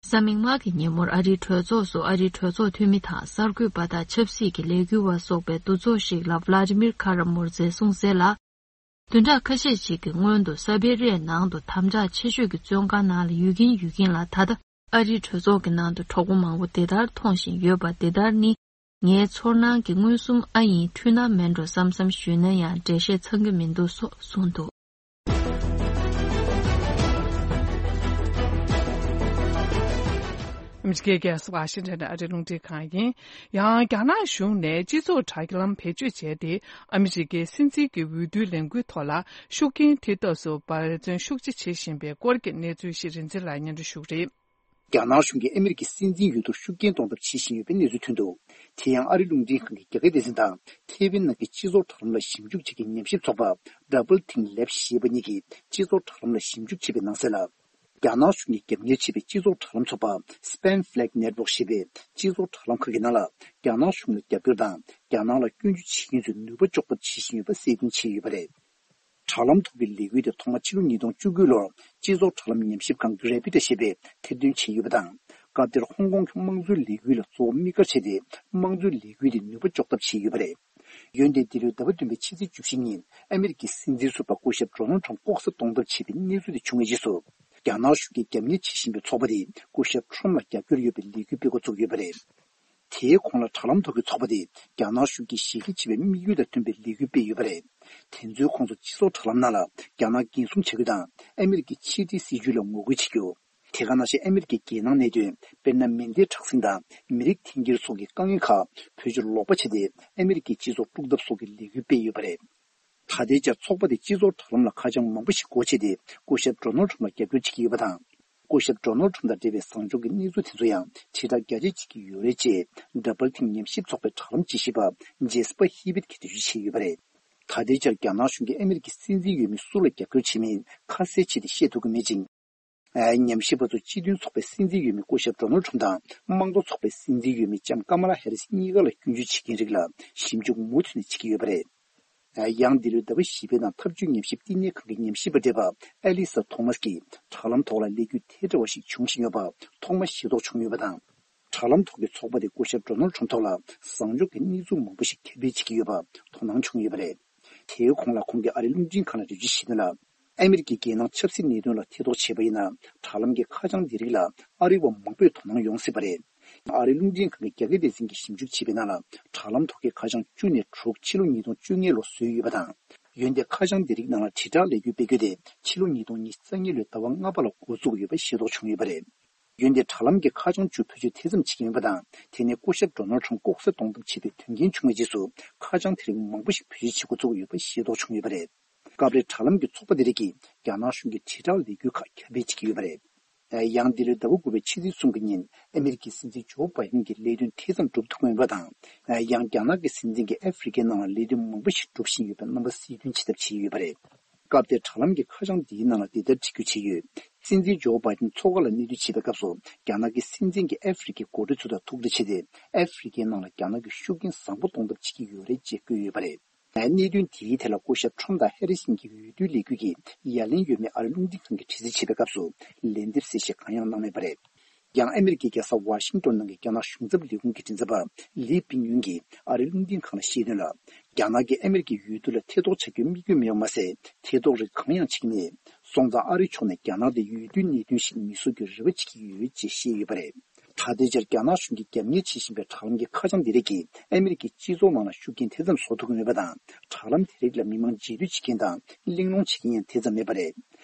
གཟའ་མིག་དམར་གྱི་ཉིན་མོར་ཨ་རིའི་གྲོས་ཚོགས་སུ་ཨ་རིའི་གྲོས་ཚོགས་འཐུས་མི་དང་གསར་འགོད་པ་དང་ཆབ་སྲིད་ཀྱི་ལས་འགུལ་བ་སོགས་པའི་འདུ་ཚོགས་ཤིག་ལ་Vladimir Kara-Murza་གསུངས་གསལ་ལ། བདུན་ཕྲག་ཁ་ཤས་ཤིག་གི་སྔོན་དུ་ས་བེ་རི་ཡའི་ནང་དུ་དམ་དྲག་ཆེ་ཤོས་ཀྱི་བཙོན་ཁང་ནང་ལ་ཡོད་ཀྱིན་ཡོད་ཀྱིན་ལ། ད་ལྟ་ཨ་རིའི་གྲོས་ཚོགས་ཀྱི་ནང་དུ་གྲོགས་པོ་མང་པོ་འདི་ལྟར་མཐོང་བཞིན་ཡོད་པ་འདི་ལྟར་ནི། ངའི་ཚོར་སྣང་གི་མངོན་སུམ་ཨ་ཡིན་འཁྲུལ་སྣང་མིན་འགྲོ་བསམ་བསམ་ཞུས་ན་ཡང་འགྲེལ་བཤད་ཚང་གི་མི་འདུག་སོགས་གསུངས་འདུག་ཨ་མི་རི་ཀའི་རྒྱལ་ས་ཝ་ཤིང་ཊོན་ཨ་རིའི་རླུང་འཕྲིན་ཁང་ཡིན། ཡང་རྒྱ་ནག་གཞུང་ནས་སྤྱི་ཚོགས་དྲ་ལམ་བེད་སྤྱོད་བྱས་ཏེ། ཨ་མི་རི་ཀའི་སྲིད་འཛིན་གྱི་འོས་བསྡུའི་ལས་འགུལ་ཐོག་ལ་ཤུགས་རྐྱེན་ཐེབས་ཐབས་སུ་འབད་བརྩོན་ཤུགས་ཆེ་བྱེད་བཞིན་པའི་སྐོར་གྱི་གནས་ཚུལ་ཞིག་རིན་འཛིན་ལགས་སྙན་སྒྲོན་ཞུ་གི་རེད། རྒྱ་ནག་གཞུང་གིས་ཨ་མི་རི་ཀའི་སྲིད་འཛིན་འོས་བསྡུར་ཤུགས་རྐྱེན་གཏོང་ཐབས་བྱེད་བཞིན་ཡོད་པའི་གནས་ཚུལ་ཐོན་འདུག་དེ་ཡང་ཨ་རིའི་རླུང་འཕྲིན་ཁང་གི་རྒྱ་སྐད་སྡེ་ཚན་དང་ཐེ་ཝན་ནང་གི་སྤྱི་ཚོགས་དྲ་ལམ་ལ་ཞིབ་འཇུག་བྱེད་མཁན་ཉམས་ཞིབ་ཚོགས་པ་Double Think Lab་ཞེས་པ་གཉིས་ཀྱིས་སྤྱི་ཚོགས་དྲ་ལམ་ལ་ཞིབ་འཇུག་བྱས་པའི་ནང་གསལ་ལ། རྒྱ་ནག་གཞུང་གིས་རྒྱབ་གཉེར་བྱས་པའི་སྤྱི་ཚོགས་དྲ་ལམ་ཚོགས་པ་Spam Flag Network་ཞེས་པའི་སྤྱི་ཚོགས་དྲ་ལམ་ཁག་གི་ནང་ལ་རྒྱ་ནག་གཞུང་ལ་རྒྱབ་སྐྱོར་དང་རྒྱ་ནག་ལ་སྐྱོན་བརྗོད་བྱེད་མཁན་ཚོས་ནུས་པ་འཇོག་ཐབས་བྱེད་བཞིན་ཡོད་པ་གསལ་སྟོན་བྱས་ཡོད་པ་རེད། དྲ་ལམ་ཐོག་གི་ལས་འགུལ་དེ་ཐོག་མ་ཕྱི་ལོ་ཉིས་སྟོང་བཅུ་དགུ་ལོར་སྤྱི་ཚོགས་དྲ་ལམ་ཉམས་ཞིབ་ཁང་Gravita་ཞེས་པས་ཐེར་འདོན་བྱས་ཡོད་པ་དང་། སྐབས་དེར་ཧོང་ཀོང་གི་དམངས་གཙོའི་ལས་འགུལ་ལ་གཙོ་བོ་དམིགས་བཀར་བྱས་ཏེ་དམངས་གཙོའི་ལས་འགུལ་དེ་ནུས་པ་འཇོག་ཐབས་བྱས་ཡོད་པ་རེད། འོན་ཏེ་འདི་ལོའི་ཟླ་བ་བདུན་པའི་ཕྱི་ཚེས་བཅུ་བཞི་ཉིན་ཨ་མི་རི་ཀའི་སྲིད་འཛིན་ཟུར་པ་སྐུ་ཞབས་Donald Trump་ལྐོག་ཟ་གཏོང་ཐབས་བྱས་པའི་གནས་ཚུལ་དེ་བྱུང་བའི་རྗེས་སུ། རྒྱ་ནག་གཞུང་གིས་རྒྱབ་གཉེར་བྱེད་བཞིན་པའི་ཚོགས་པ་དེས་སྐུ་ཞབས་Trump་ལ་རྒྱབ་སྐྱོར་ཡོད་པའི་ལས་འགུལ་སྤེལ་འགོ་བཙུགས་ཡོད་པ་རེད། དེའི་གོང་ལ་དྲ་ལམ་ཐོག་གི་ཚོགས་པ་དེས་རྒྱ་ནག་གཞུང་གིས་ཞི་བདེ་ཆེ་བའི་དམིགས་ཡུལ་དང་མཐུན་པའི་ལས་འགུལ་སྤེལ་ཡོད་པ་རེད། དེ་ཚོའི་ཁོངས་སུ་སྤྱི་ཚོགས་དྲ་ལམ་ནང་ལ་རྒྱ་ནག་འགན་སྲུང་བྱ་རྒྱུ་དང་ཨ་མི་རི་ཀའི་ཕྱི་འབྲེལ་སྲིད་ཇུས་ལ་ངོ་རྒོལ་བྱེད་རྒྱུ། དེ་ག་ནང་བཞིན་ཨ་མི་རི་ཀའི་རྒྱལ་ནང་གནད་དོན། དཔེར་ན། མེ་མདའི་དྲག་ཟིང་དང་མི་རིགས་འཐེན་འཁྱེར་སོགས་ཀྱི་དཀའ་ངལ་ཁག་བེད་སྤྱོད་ལོག་པ་བྱས་ཏེ་ཨ་མི་རི་ཀའི་སྤྱི་ཚོགས་དཀྲུག་ཐབས་སོགས་ཀྱི་ལས་འགུལ་སྤེལ་ཡོད་པ་རེད། ད་ལྟའི་ཆར་ཚོགས་པ་དེ་སྤྱི་ཚོགས་དྲ་ལམ་ལ་ཁ་བྱང་མང་པོ་ཞིག་སྒོ་ཕྱེ་སྟེ་སྐུ་ཞབས་ཌོ་ནལ་ཊམ་ཕ་ལ་རྒྱབ་སྐྱོར་བྱེད་ཀྱི་ཡོད་པ་དང་། སྐུ་ཞབས་ཌོ་ནལ་ཊམ་ཕ་ལ་དང་འབྲེལ་བའི་བཟང་ཕྱོགས་ཀྱི་གནས་ཚུལ་དེ་ཚོ་ཡང་དྲིལ་བསྒྲགས་རྒྱ་ཆེ་བྱེད་ཀྱི་ཡོད་རེད་ཅེས་ཌབ་བལ་ཐིང་ཉམས་ཞིབ་ཚོགས་པའི་དྲ་ལམ་དཔྱད་ཞིབ་པ་ཇེ་སི་པ་ཧི་བྷིད་ཀྱིས་འགྲེལ་བརྗོད་བྱས་ཡོད་པ་རེད། ད་ལྟའི་ཆར་རྒྱ་ནག་གཞུང་གིས་ཨ་མི་རི་ཀའི་སྲིད་འཛིན་འོས་མི་སུ་ལ་རྒྱབ་སྐྱོར་བྱེད་མིན་ཁ་གསལ་བྱས་ཏེ་བཤད་ཐུབ་ཀྱི་མེད་ཅིང་། ཉམས་ཞིབ་པ་ཚོ་སྤྱི་མཐུན་ཚོགས་པའི་སྲིད་འཛིན་འོས་མི་སྐུ་ཞབས་ཌོ་ནལ་ཊམ་ཕ་ལ་དང་དམངས་གཙོ་ཚོགས་པའི་སྲིད་འཛིན་འོས་མི་ལྕམ་ཀ་མ་ལ་ཧེ་རི་སི་གཉིས་ཀ་ལ་སྐྱོན་བརྗོད་བྱེད་མཁན་རིགས་ལ་ཞིབ་འཇུག་མུ་མཐུད་ནས་བྱེད་ཀྱི་ཡོད་པ་རེད། ཡང་འདི་ལོའི་ཟླ་བ་བཞི་པའི་ནང་འཐབ་ཇུས་ཉམས་ཞིབ་བསྟི་གནས་ཁང་གི་ཉམས་ཞིབ་པ་བགྲེས་པ་ཨེ་ལི་ས་ཐོ་མཱས་ཀྱིས་དྲ་ལམ་ཐོག་ལ་ལས་འགུལ་དེ་འདྲ་བ་ཞིག་འབྱུང་བཞིན་ཡོད་པ་ཐོག་མ་ཤེས་རྟོགས་བྱུང་ཡོད་པ་དང་། དྲ་ལམ་ཐོག་གི་ཚོགས་པ་དེ་སྐུ་ཞབས་ཌོ་ནལ་ཊམ་ཕ་ལ་ཐོག་ལ་བཟང་ཕྱོགས་ཀྱི་གནས་ཚུལ་མང་པོ་ཞིག་ཁྱབ་སྤེལ་བྱེད་ཀྱི་ཡོད་པ་དོ་སྣང་བྱུང་ཡོད་པ་རེད། དེའི་གོང་ལ་ཁོང་གིས་ཨ་རིའི་རླུང་འཕྲིན་ཁང་ལ་འགྲེལ་བརྗོད་བྱས་དོན་ལ། ཨ་མི་རི་ཀའི་རྒྱལ་ནང་ཆབ་སྲིད་གནད་དོན་ལ་ཐེ་གཏོགས་བྱས་པ་ཡིན་ན། དྲ་ལམ་གྱི་ཁ་བྱང་འདི་རིགས་ལ་ཨ་རི་བ་མང་པོས་དོ་སྣང་ཡོང་སྲིད་པ་རེད། ཨ་རིའི་རླུང་འཕྲིན་ཁང་གི་རྒྱ་སྐད་སྡེ་ཚན་གྱིས་ཞིབ་འཇུག་བྱས་པའི་ནང་ལ། དྲ་ལམ་ཐོག་གི་ཁ་བྱང་བཅུ་ནས་དྲུག་ཕྱི་ལོ་ཉིས་སྟོང་བཅོ་ལྔ་ལོར་བཟོས་ཡོད་པ་དང་། འོན་ཏེ་ཁ་བྱང་འདི་རིགས་ནང་ལ་དྲིལ་བསྒྲགས་ལས་འགུལ་སྤེལ་རྒྱུ་དེ་ཕྱི་ལོ་ཉིས་སྟོང་ཉི་ཤུ་རྩ་གཉིས་ལོའི་ཟླ་བ་ལྔ་པ་ལ་འགོ་བཙུགས་ཡོད་པ་ཤེས་རྟོགས་བྱུང་ཡོད་པ་རེད། འོན་ཏེ་དྲ་ལམ་གྱི་ཁ་བྱང་བཅུ་བེད་སྤྱོད་དེ་ཙམ་བྱེད་ཀྱི་ཡོད་པ་དང་། དེ་ནི་སྐུ་ཞབས་ཌོ་ནལ་ཊམ་ལྐོག་ཟ་གཏོང་ཐབས་བྱེད་པའི་དོན་རྐྱེན་བྱུང་བའི་རྗེས་སུ་ཁ་བྱང་དེ་རིགས་མང་པོ་ཞིག་བེད་སྤྱོད་བྱེད་འགོ་བཙུགས་ཡོད་པ་ཤེས་རྟོགས་བྱུང་ཡོད་པ་རེད། སྐབས་རེ་དྲ་ལམ་གྱི་ཚོགས་པ་དེ་རིགས་ཀྱིས་རྒྱ་ནག་གཞུང་གི་དྲིལ་བསྒྲགས་ལས་འགུལ་ཁག་ཁྱབ་སྤེལ་བྱེད་ཀྱི་ཡོད་པ་རེད། ཡང་འདི་ལོའི་ཟླ་བ་དགུ་པའི་ཕྱི་ཚེས་གསུམ་གྱི་ཉིན་ཨ་མི་རི་ཀའི་སྲིད་འཛིན་ཇོ་བྷའི་ཌེན་གྱིས་ལས་དོན་དེ་ཙམ་འགྲུབ་ཐུབ་མེད་པ་དང་། ཡང་རྒྱ་ནག་གི་སྲིད་འཛིན་གྱིས་ཨ་ཧྥེ་རི་ཀའི་ནང་ལ་ལས་དོན་མང་པོ་ཞིག་སྒྲུབ་བཞིན་ཡོད་པའི་རྣམ་པ་གསལ་སྟོན་བྱེད་ཐབས་བྱས་ཡོད་པ་རེད། སྐབས་དེར་དྲ་ལམ་གྱི་ཁ་བྱང་འདིའི་ནང་ལ་འདི་ལྟར་བྲིས་རྒྱུ་བྱས་ཡོད། སྲིད་འཛིན་ཇོ་བྷའི་ཌེན་མཚོ་ཁ་ལ་གནས་སྡོད་བྱེད་པའི་སྐབས་སུ། རྒྱ་ནག་གི་སྲིད་འཛིན་གྱིས་ཨ་ཧྥེ་རི་ཀའི་འགོ་ཁྲིད་ཚོ་དང་ཐུག་འཕྲད་བྱས་ཏེ། ཨ་ཧྥེ་རི་ཀའི་ནང་ལ་རྒྱ་ནག་གི་ཤུགས་རྐྱེན་བཟང་པོ་གཏོང་ཐབས་བྱེད་ཀྱི་ཡོད་རེད་ཅེས་བཀོད་ཡོད་པ་རེད། གནད་དོན་དེའི་ཐད་ལ་སྐུ་ཞབས་ཁྲོམ་དང་ཧེ་རི་སིན་གྱི་འོས་བསྡུའི་ལས་འགུལ་གྱི་ཡ་ལན་ཡོད་མེད་ཨ་རིའི་རླུང་འཕྲིན་ཁང་གིས་དྲི་རྩད་བྱས་པའི་སྐབས་སུ། ལན་འདེབས་གསལ་བཤད་གང་ཡང་གནང་མེད་པ་རེད། ཡང་ཨ་མི་རི་ཀའི་རྒྱལ་ས་ཝ་ཤིང་ཏོན་ནང་གི་རྒྱ་ནག་གཞུང་ཚབ་ལས་ཁུངས་ཀྱི་མགྲིན་ཚབ་པ་ལི་པིང་ཡུན་གྱིས་ཨ་རིའི་རླུང་འཕྲིན་ཁང་ལ་བཤད་དོན་ལ། རྒྱ་ནག་གིས་ཨ་མི་རི་ཀའི་འོས་བསྡུ་ལ་ཐེ་གཏོགས་བྱ་རྒྱུའི་དམིགས་ཡུལ་མེད་པ་མ་ཟད། ཐེ་གཏོགས་རིགས་གང་ཡང་བྱེད་ཀྱི་མེད། སོང་ཙང་ཨ་རིའི་ཕྱོགས་ནས་རྒྱ་ནག་དེ་འོས་བསྡུའི་གནད་དོན་ཞིག་མི་བཟོ་རྒྱུའི་རེ་བ་བྱེད་ཀྱི་ཡོད་ཅེས་བཤད་ཡོད་པ་རེད། ད་ལྟའི་ཆར་རྒྱ་ནག་གཞུང་གིས་རྒྱབ་གཉེར་བྱེད་བཞིན་པའི་དྲ་ལམ་གྱི་ཁ་བྱང་འདི་རིགས་ཀྱིས་ཨ་མི་རི་ཀའི་སྤྱི་ཚོགས་ནང་ལ་ཤུགས་རྐྱེན་དེ་ཙམ་བཟོ་ཐུབ་ཀྱི་མེད་པ་དང་། དྲ་ལམ་དེ་རིགས་ལ་མི་མང་རྗེས་མཐུད་བྱེད་མཁན་དང་གླེང་སློང་བྱེད་མཁན་ཡང་དེ་ཙམ་མེད་པ་རེད།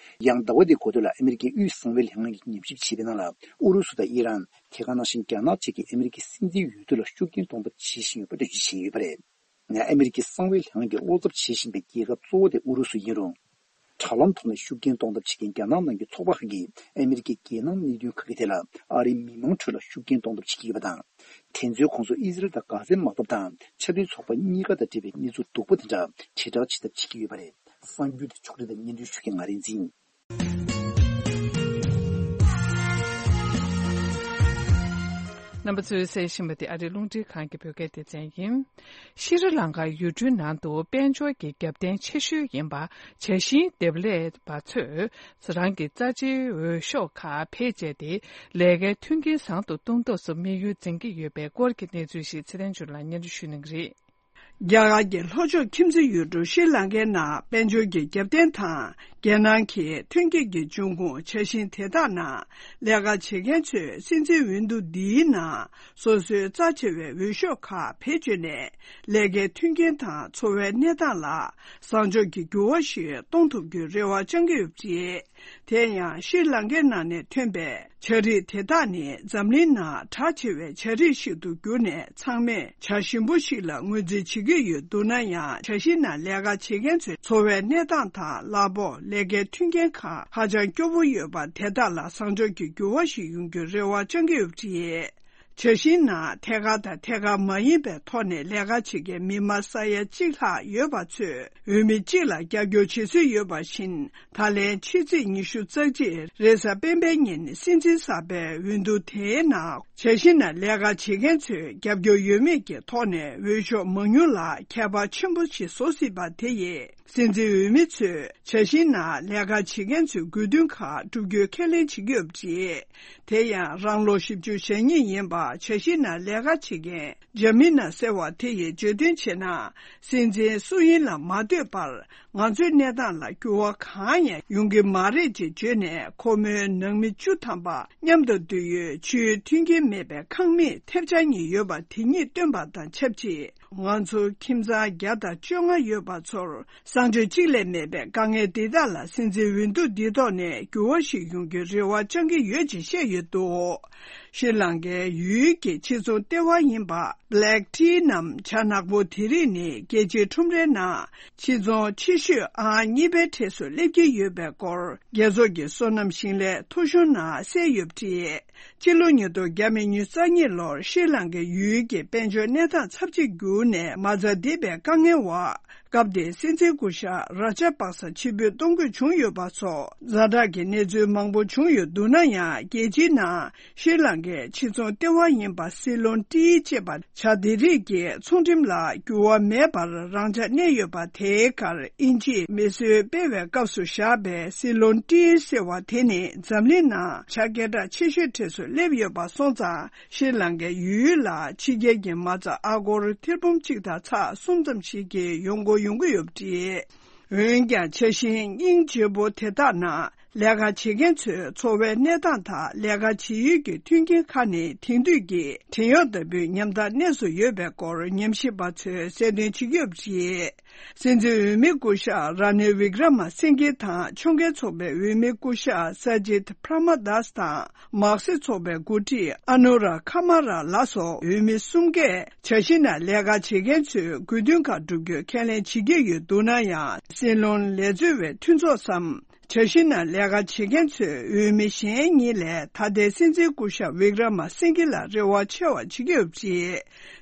ཡང་ཟླ་བ་འདིའི་འགོ་སྟོད་ལ་ཨ་མི་རི་ཀའི་དབུས་གསང་བའི་ལྷན་ཁང་གིས་ཉམས་ཞིབ་བྱས་པའི་ནང་ལ། ཨུ་རུ་སུ་དང་ཨི་རན། དེ་ག་ནང་བཞིན་རྒྱ་ནག་བཅས་ཀྱིས་ཨ་མི་རི་ཀའི་སྲིད་འཛིན་འོས་བསྡུ་ལ་ཤུགས་རྐྱེན་གཏོང་ཐབས་བྱེད་བཞིན་ཡོད་པ་འགྲེལ་བརྗོད་བྱས་ཡོད་པ་རེད། ཨ་མི་རི་ཀའི་གསང་བའི་ལྷན་ཁང་གི་བློ་འཚབ་བྱེད་བཞིན་པའི་རྒྱལ་ཁབ་གཙོ་བོ་དེ་ཨུ་རུ་སུ་ཡིན་རུང་། དྲ་ལམ་ཐོག་ནས་ཤུགས་རྐྱེན་གཏོང་ཐབས་བྱེད་མཁན་རྒྱ་ནག་ནང་གི་ཚོགས་པ་ཁག་གིས་ཨ་མི་རི་ཀའི་རྒྱལ་ནང་གནད་དོན་ཁག་གི་ཐད་ལ་ཨ་རིའི་མི་མང་ཁྲོད་ལ་ཤུགས་རྐྱེན་གཏོང་ཐབས་བྱེད་ཀྱི་ཡོད་པ་དང་། དེ་ཚོའི་ཁོངས་སུ་ཨི་ཟི་རལ་དང་གྷ་ཟའི་དམག་འཐབ་དང་ཆབ་སྲིད་ཚོགས་པ་གཉིས་ཀ་དང་འབྲེལ་བའི་གནས་ཚུལ་སྡུག་པོ་དེ་འདྲ་དྲིལ་བསྒྲགས་བྱེད་ཐབས་བྱེད་ཀྱི་ཡོད་པ་རེད། གསར་འགྱུར་དེ་ཕྱོགས་སྒྲིག་དང་སྙན་སྒྲོན་ཞུ་མཁན་ང་རིག་འཛིན། རྣམ་པ་ཚོས་གསན་བཞིན་པ་དེ་ཨ་རིའི་རླུང་འཕྲིན་ཁང་གི་བོད་སྐད་སྡེ་ཚན་ཡིན། ཤྲི་ལང་ཀ་ཡུལ་གྲུའི་ནང་དུ་དཔལ་འབྱོར་གྱི་རྒྱབ་རྟེན་ཆེ་ཤོས་ཡིན་པ་བྱ་ཤིང་འདེབས་ལས་པ་ཚོས་རང་གི་རྩ་ཆེའི་འོས་ཤོག་ཁག་བེད་སྤྱད་དེ་ལས་ཀའི་མཐུན་རྐྱེན་བཟང་དུ་གཏོང་ཐབས་སུ་དམིགས་ཡུལ་འཛིན་གྱི་ཡོད་པའི་སྐོར་གྱི་གནས་ཚུལ་ཞིག་ཚེ་བརྟན་ཆོས་ལགས་སྙན་སྒྲོན་ཞུ་གནང་གི་རེད། རྒྱ་གར་གྱི་ལྷོ་ཕྱོགས་ཁྱིམ་མཚེས་ཡུལ་གྲུ་ཤྲི་ལང་ཀའི་ནང་དཔལ་འབྱོར་གྱི་རྒྱབ་རྟེན་དང་རྒྱལ་ནང་གི་ཐོན་སྐྱེད་ཀྱི་འབྱུང་ཁུངས་བྱ་ཤིང་དེ་དག་ནང་ལས་ཀ་བྱེད་མཁན་ཚོས་སྲིད་འཛིན་འོས་བསྡུ་འདིའི་ནང་སོ་སོའི་རྩ་ཆེ་བའི་འོས་ཤོག་ཁག་བེད་སྤྱོད་ནས་ལས་ཀའི་མཐུན་རྐྱེན་དང་འཚོ་བའི་གནས་སྟངས་ལ་བཟང་ཕྱོགས་ཀྱི་འགྱུར་བ་ཞིག་གཏོང་ཐུབ་རྒྱུའི་རེ་བ་བཅང་གི་ཡོད་པ་རེད། དེ་ཡང་ཤྲི་ལང་ཀའི་ནང་ནས་ཐོན་པའི་བྱ་རིགས་དེ་དག་ནི་འཛམ་གླིང་ནང་གྲགས་ཆེ་བའི་བྱ་རིགས་ཤིག་ཏུ་གྱུར་ནས་ཚང་མས་བྱ་ཞིམ་པོ་ཞིག་ལ་ངོས་འཛིན་བྱེད་ཀྱི་ཡོད་འདུག་ན་ཡང་། བྱ་ཤིང་ནང་ལས་ཀ་བྱེད་མཁན་ཚོའི་འཚོ་བའི་གནས་སྟངས་དང་གླ་ཕོགས། ལས་ཀའི་མཐུན་རྐྱེན་ཁག་ཧ་ཅང་སྐྱོ་པོ་ཡོད་པ་དེ་དག་ལ་བཟང་ཕྱོགས་ཀྱི་འགྱུར་བ་ཞིག་ཡོང་རྒྱུའི་རེ་བ་བཅང་གི་ཡོད་པ་རེད། བྱ་ཤིང་ནང་ཐད་ཀར་དང་ཐད་ཀར་མ་ཡིན་པའི་ཐོག་ནས་ལས་ཀ་བྱེད་མཁན་མི་དམངས་ས་ཡ་གཅིག་ལྷག་ཡོད་པ་ཚོས་འོས་མི་གཅིག་ལ་རྒྱབ་སྐྱོར་བྱེད་སྲོལ་ཡོད་པ་བཞིན། ད་ལན་ཕྱི་ཚེས་ཉི་ཤུ་རྩ་གཅིག་རེས་གཟའ་སྤེན་པའི་ཉིན་སྲིད་འཛིན་གསར་པའི་འོས་བསྡུ་དེའི་ནང་བྱ་ཤིང་ནང་ལས་ཀ་བྱེད་མཁན་ཚོས་རྒྱབ་སྐྱོར་ཡོད་མེད་ཀྱི་ཐོག་ནས་འོས་ཤོག་མང་ཉུང་ལ་ཁྱད་པར་ཆེན་པོ་ཞིག་བཟོ་སྲིད་པ་དེ་ཡིས། སྲིད་འཛིན་འོས་མི་ཚོས་བྱ་ཤིང་ནང་ལས་ཀ་བྱེད་མཁན་ཚོའི་དགོས་འདུན་ཁག་བསྒྲུབ་རྒྱུའི་ཁས་ལེན་བྱེད་ཀྱི་ཡོད་པ་རེད། དེ་ཡང་རང་ལོ་བཞི་བཅུ་ཞེ་གཉིས་ཡིན་པ་བྱ་ཤིང་ནང་ལས་ཀ་བྱེད་མཁན་ཇ་མི་ན་ཟེར་བ་དེ་ཡིས་བརྗོད་དོན་བྱས་ན། སྲིད་འཛིན་སུ་ཡིན་ལ་མ་ལྟོས་པར། ང་ཚོའི་གནས་སྟངས་ལ་འགྱུར་བ་གང་ཡང་ཡོང་གི་མ་རེད་ཅེས་བརྗོད་ནས། ཁོ་མོའི་ནང་མི་བཅུ་ཐམ་པ་མཉམ་དུ་འདུས་ཡོད་ཆུའི་མཐུན་རྐྱེན་མེད་པའི་ཁང་མིག་ཐེབས་ཆག་གཉིས་ཡོད་པ་དེ་ཉིད་བཏོན་པ་དང་ཆབས་ཅིག་ང་ཚོ་ཁྱིམ་ཚང་བརྒྱ་དང་བཅོ་ལྔ་ཡོད་པ་ཚོར་གསང་སྤྱོད་གཅིག་ལས་མེད་པའི་དཀའ་ངལ་འདི་དག་ལ། སྲིད་འཛིན་འོས་བསྡུ་འདི་ཐོག་ནས་འགྱུར་བ་ཞིག་ཡོང་རྒྱུའི་རེ་བ་བཅང་གི་ཡོད་ཅེས་བཤད་ཡོད་འདུག་ཤྲི་ལང་ཀའི་ཡུལ་གྱི་ཕྱི་ཚོང་ལྟེ་བ་ཡིན་པ་Black Tea ནམ་ཇ་ནག་པོ་དེ་རིགས་ནི་རྒྱལ་སྤྱིའི་ཁྲོམ་རའི་ནང་ཕྱི་ཚོང་ཆེ་ཤོས་ཨང་གཉིས་པའི་གྲས་སུ་སླེབས་ཀྱི་ཡོད་པའི་སྐོར། རྒྱལ་ཚོགས་ཀྱི་སོ་ནམ་ཞིང་ལས་ཐོ་གཞུང་ནང་གསལ་ཡོད་པ་རེད། སྤྱི་ལོ་ཉིས་སྟོང་ཉི་ཤུ་རྩ་གཉིས་ལོར་ཤྲི་ལང་ཀའི་ཡུལ་གྱི་དཔལ་འབྱོར་གནས་སྟངས་ཚབས་ཆེར་འགྱུར་ནས་མ་རྩ་འདེབས་པའི་དཀའ་ངལ་འོག་སྐབས་དེའི་སྲིད་འཛིན་སྐུ་ཞབས་ར་ཇ་པག་ས་ཕྱིར་འབུད་གཏོང་དགོས་བྱུང་ཡོད་པ་སོགས་ཛ་དྲག་གི་གནས་ཚུལ་མང་པོ་བྱུང་ཡོད་འདུག་ན་ཡང་། རྒྱལ་སྤྱིའི་ནང་ཤྲི་ལང་ཀའི་ཕྱི་ཚོང་ལྟེ་བ་ཡིན་པ་སི་ལོན་ཏི་ཅེས་པ་ཇ་དེ་རིགས་ཀྱི་ཚོང་ཁྲིམས་ལ་འགྱུར་བ་མེད་པར་རང་འཇགས་གནས་ཡོད་པ། དེའི་ཁར་དབྱིན་ཇིས་མེ་གསོད་སྤེལ་བའི་སྐབས་སུ་བཞག་པའི་སི་ལོན་ཏི་ཟེར་བ་དེ་ནི་འཛམ་གླིང་ནང་ཇ་སྐད་གྲགས་ཆེ་ཤོས་གྲས་སུ་སླེབས་ཡོད་པ་སོང་ཙང་། ཤྲི་ལང་ཀའི་ཡུལ་ལ་ཕྱི་རྒྱལ་གྱི་མ་རྩ་ཨ་སྒོར་ཐེར་འབུམ་གཅིག་དང་ཚེག་གསུམ་ཙམ་ཞིག་གི་ཡོང་སྒོ་ཡོང་གི་ཡོད་པ་རེད། འོན་ཀྱང་ཇ་ཤིང་སྙིང་རྗེ་པོ་དེ་དག་ནང་ལས་ཀ་བྱེད་མཁན་ཚོའི་འཚོ་བའི་གནས་སྟངས་དང་ལས་ཀ་བྱེད་ཡུལ་གྱི་མཐུན་རྐྱེན་ཁག་ནི་དེང་དུས་ཀྱི་བྲན་གཡོག་ལྟ་བུའི་ཉམ་ཐག་གནས་སུ་ཡོད་པའི་སྐོར་ཉམས་ཞིབ་པ་ཚོས་གསལ་སྟོན་བྱེད་ཀྱི་ཡོད་པ་རེད། སྲིད་འཛིན་འོས་མི་སྐུ་ཞབས་ར་ནིལ་བི་ཀྲ་མ་སིང་གྷི་དང་ཕྱོགས་འགལ་ཚོགས་པའི་འོས་མི་སྐུ་ཞབས་ས་ཇིད་པྲ་མ་དཱས་དང་མག་སེར་ཚོགས་པའི་འགོ་ཁྲིད་ཨ་ནུ་ར་ཁ་མ་ར་ལ་སོགས་འོས་མི་གསུམ་གས་ཇ་ཤིང་ནང་ལས་ཀ་བྱེད་མཁན་ཚོའི་དགོས་འདུན་ཁག་བསྒྲུབ་རྒྱུའི་ཁས་ལེན་བྱེད་ཀྱི་ཡོད་འདུག་ན་ཡང་། སྲིད་བློན་ལས་རྩོལ་བའི་མཐུན་ཚོགས་སམ། ཇ་ཤིང་ནང་ལས་ཀ་བྱེད་མཁན་ཚོའི་འོས་མི་གཞན་གཉིས་ལས་ད་ལྟའི་སྲིད་འཛིན་སྐུ་ཞབས་བི་ཀྲ་མ་སིང་གྷི་ལ་རེ་བ་ཆེ་བ་བྱེད་ཀྱི་ཡོད་པ་རེད།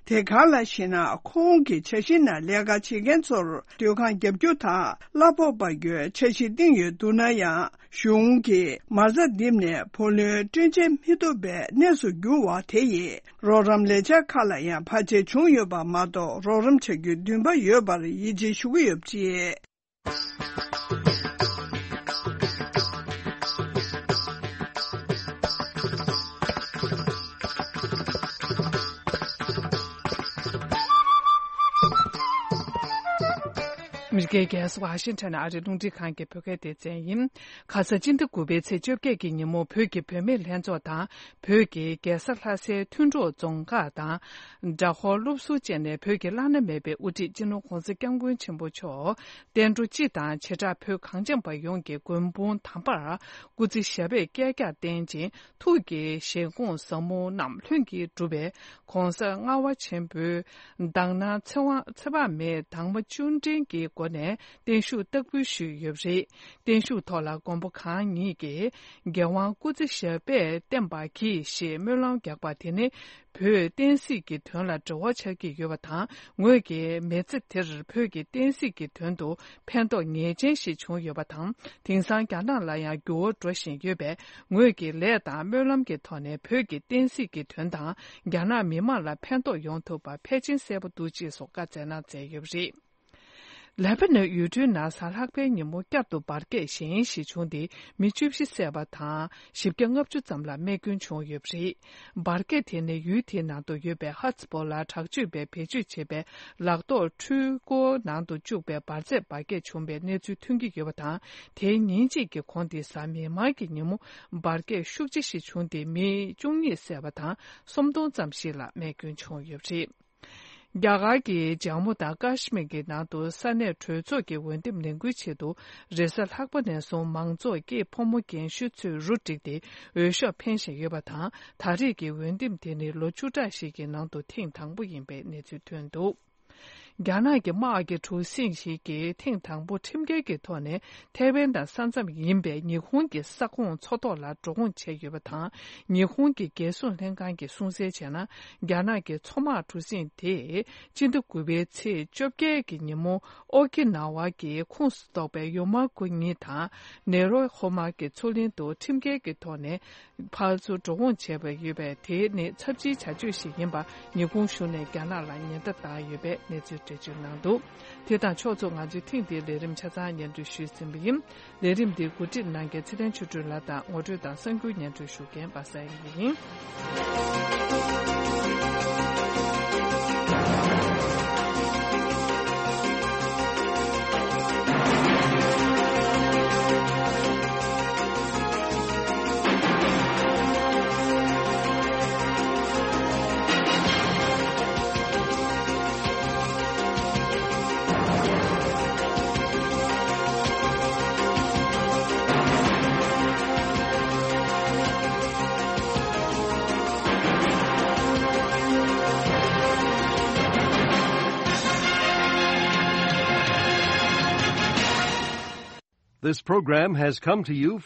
དེ་གང་ལགས་ཤེ་ན། ཁོང་གིས་ཇ་ཤིང་ནང་ལས་ཀ་བྱེད་མཁན་ཚོར་སྡོད་ཁང་བརྒྱབ་རྒྱུ་དང་གླ་ཕོགས་སྤར་རྒྱུའི་འཆར་གཞི་བཏིང་ཡོད་འདུག་ན་ཡང་། གཞུང་གིས་མ་རྩ་འདེབས་ནས་བུ་ལོན་སྤྲོད་འཇལ་མི་ཐུབ་པའི་གནས་སུ་གྱུར་བ་དེ་ཡིས་རོགས་རམ་ལས་འཆར་ཁག་ལ་ཡང་བར་ཆད་བྱུང་ཡོད་པ་མ་གཏོགས། རོགས་རམ་བྱ་རྒྱུའི་འདུན་པ་ཡོད་པར་ཡིད་ཆེས་ཞུ་གི་ཡོད་པ་རེད། ཨ་མི་རི་ཀའི་རྒྱལ་ས་ཝ་ཤིང་ཊོན་ཨ་རིའི་རླུང་འཕྲིན་ཁང་གི་བོད་སྐད་སྡེ་ཚན་ཡིན། ཁ་ས་སྤྱི་ཟླ་དགུ་པའི་ཚེས་བཅོ་བརྒྱད་ཀྱི་ཉིན་མོ་བོད་ཀྱི་བུད་མེད་ལྷན་ཚོགས་དང་། བོད་ཀྱི་རྒྱལ་ས་ལྷ་སའི་མཐུན་གྲོགས་རྫོང་ཁག་དང་། དགྲ་ཧོར་སློབ་ཟུར་བཅས་ནས་བོད་ཀྱི་བླ་ན་མེད་པའི་དབུ་ཁྲིད་སྤྱི་ནོར་༧གོང་ས་༧སྐྱབས་མགོན་ཆེན་པོ་མཆོག་བསྟན་འགྲོ་སྤྱི་དང་བྱེ་བྲག་བོད་གངས་ཅན་པ་ཡོངས་ཀྱི་མགོན་དཔུང་དམ་པར་སྐུ་ཚེ་ཞབས་པད་བསྐལ་བརྒྱར་བརྟན་ཅིང་། ཐུགས་ཀྱི་བཞེད་དགོངས་ཟབ་མོ་རྣམས་ལྷུན་གྱིས་གྲུབ་པའི་༧གོང་ས་ལྔ་པ་ཆེན་པོའི་དག་སྣང་ཚེ་དབང་ཚེ་དཔག་མེད་དྭངས་མ་བཅུ་འདྲེན་གྱི་སྒོ་ནས་བརྟན་བཞུགས་བསྟར་འབུལ་ཞུས་ཡོད་པ་རེད། བརྟན་བཞུགས་ཐོག་ལ་མགོན་པོ་གང་ཉིད་ཀྱིས་རྒྱལ་དབང་སྐུ་ཚེ་ཞབས་པད་བརྟན་པར་གྱིས་ཞེས་སྨོན་ལམ་བརྒྱབ་པ་དེ་ནི། བོད་བསྟན་སྲིད་ཀྱི་དོན་ལ་འབྲེལ་བ་ཆགས་ཀྱི་ཡོད་པ་དང་། ངོས་ཀྱི་མི་ཚེ་དེར་བོད་ཀྱི་བསྟན་སྲིད་ཀྱི་དོན་དུ་ཕན་ཐོགས་ངེས་ཅན་ཞིག་བྱུང་ཡོད་པ་དང་། དེང་སང་རྒྱ་ནག་ལ་ཡང་འགྱུར་བ་འགྲོ་བཞིན་ཡོད་པས། ངོས་ཀྱི་ལས་དང་སྨོན་ལམ་གྱི་ཐོག་ནས་བོད་ཀྱི་བསྟན་སྲིད་ཀྱི་དོན་དང་། རྒྱ་ནག་མི་དམངས་ལ་ཕན་ཐོགས་ཡོང་ཐུབ་པ་ཕལ་ཆེར་གསལ་པོ་འདུག་ཅེས་སོགས་བཀའ་སྩལ་གནང་མཛད་ཡོད་པ་རེད། ལེ་པ་ནན་ཡུལ་གྲུའི་ནང་གཟའ་ལྷག་པའི་ཉིན་མོ་བསྐྱར་དུ་འབར་གས་གཞན་ཞིག་བྱུང་སྟེ། མི་བཅུ་བཞི་བསད་པ་དང་། བཞི་བརྒྱ་ལྔ་བཅུ་ཙམ་ལ་རྨས་སྐྱོན་བྱུང་ཡོད་པ་རེད། འབར་གས་དེ་ནི་ཡུལ་དེའི་ནང་དུ་ཡོད་པའི་ཧ་ཛི་པོ་ལ་དྲག་སྤྱོད་པས་བེད་སྤྱོད་བྱས་པའི་ལག་ཐོགས་འཕྲུལ་འཁོར་ནང་དུ་བཅུག་པའི་འབར་རྫས་འབར་གས་བྱུང་བའི་གནས་ཚུལ་ཐོན་གྱི་ཡོད་པ་དང་། དེའི་ཉིན་གཅིག་གི་གོང་དེ་གཟའ་མིག་དམར་གྱི་ཉིན་མོ་འབར་གས་ཤུགས་ཆེ་ཞིག་བྱུང་སྟེ། མི་བཅུ་གཉིས་བསད་པ་དང་། སུམ་སྟོང་ཙམ་ཞིག་ལ་རྨས་སྐྱོན་བྱུང་ཡོད་པ་རེད། རྒྱ་གར་གྱི་ཇམ་མུ་དང་ཀཱ་ཤི་མིར་གྱི་ནང་དུ་ས་གནས་གྲོས་ཚོགས་ཀྱི་འོས་འདེམས་ལས་འགུལ་ཆེད་དུ། རེས་གཟའ་ལྷག་པ་ནས་བཟུང་མང་ཚོགས་ཀྱིས་ཕོ་མོ་རྒན་གཞོན་ཚོས་རུ་བསྒྲིགས་ཏེ་འོས་ཤོག་འཕེན་བཞིན་ཡོད་པ་དང་། ད་རེས་ཀྱི་འོས་འདེམས་དེ་ནི་ལོ་བཅུ་ཕྲག་ཞིག་གི་ནང་དུ་ཐེངས་དང་པོ་ཡིན་པའི་གནས་ཚུལ་ཐོན་འདུག་རྒྱ་ནག་གི་དམག་གི་གྲུ་གཟིངས་ཤིག་གིས་ཐེངས་དང་པོ་ཁྲིམས་འགལ་གྱི་ཐོག་ནས་ཐའེ་ཝན་དང་ས་མཚམས་ཡིན་པའི་ཉི་ཧོང་གི་ས་ཁོངས་མཚོ་ཐོག་ལ་འགྲོ་འོང་བྱས་ཡོད་པ་དང་། ཉི་ཧོང་གི་རྒྱལ་སྲུང་ལྷན་ཁང་གིས་གསུང་གསལ་བྱས་ན། རྒྱ་ནག་གི་མཚོ་དམག་གྲུ་གཟིངས་དེས་སྤྱི་ཟླ་དགུ་པའི་ཚེས་བཅོ་བརྒྱད་ཀྱི་ཉིན་མོ་ཨོ་ཀི་ན་ཝ་གི་ཁོངས་སུ་གཏོགས་པའི་ཡོ་མ་ཀུ་ཉི་དང་ནེ་རོ་ཧོ་མ་གི་མཚོ་གླིང་དུ་ཁྲིམས་འགལ་གྱི་ཐོག་ནས་ཕར་ཚུར་འགྲོ་འོང་བྱས་པ་ཡོད་པས། དེ་ནི་ཚབས་ཆེའི་བྱ་སྤྱོད་ཞིག་ཡིན་པ་ཉི་ཧོང་གཞུང་ནས་རྒྱ་ནག་ལ་ཉེན་བརྡ་བཏང་ཡོད་པའི་གནས་ཚུལ་འགྲེལ་བརྗོད་གནང་འདུག་དེ་དང་ཕྱོགས་མཚུངས། ང་ཚོས་ཐེངས་འདིའི་ལས་རིམ་ཆ་ཚང་སྙན་སྒྲོན་ཞུས་ཟིན་པ་ཡིན། ལས་རིམ་འདི་གོ་སྒྲིག་གནང་མཁན་ཚེ་བརྟན་ཆོས་སྒྲོན་ལགས་དང་། ངོ་སྤྲོད་དང་གསར་འགྱུར་སྙན་སྒྲོན་ཞུ་མཁན་པ་སངས་ཡིན། This program has come to you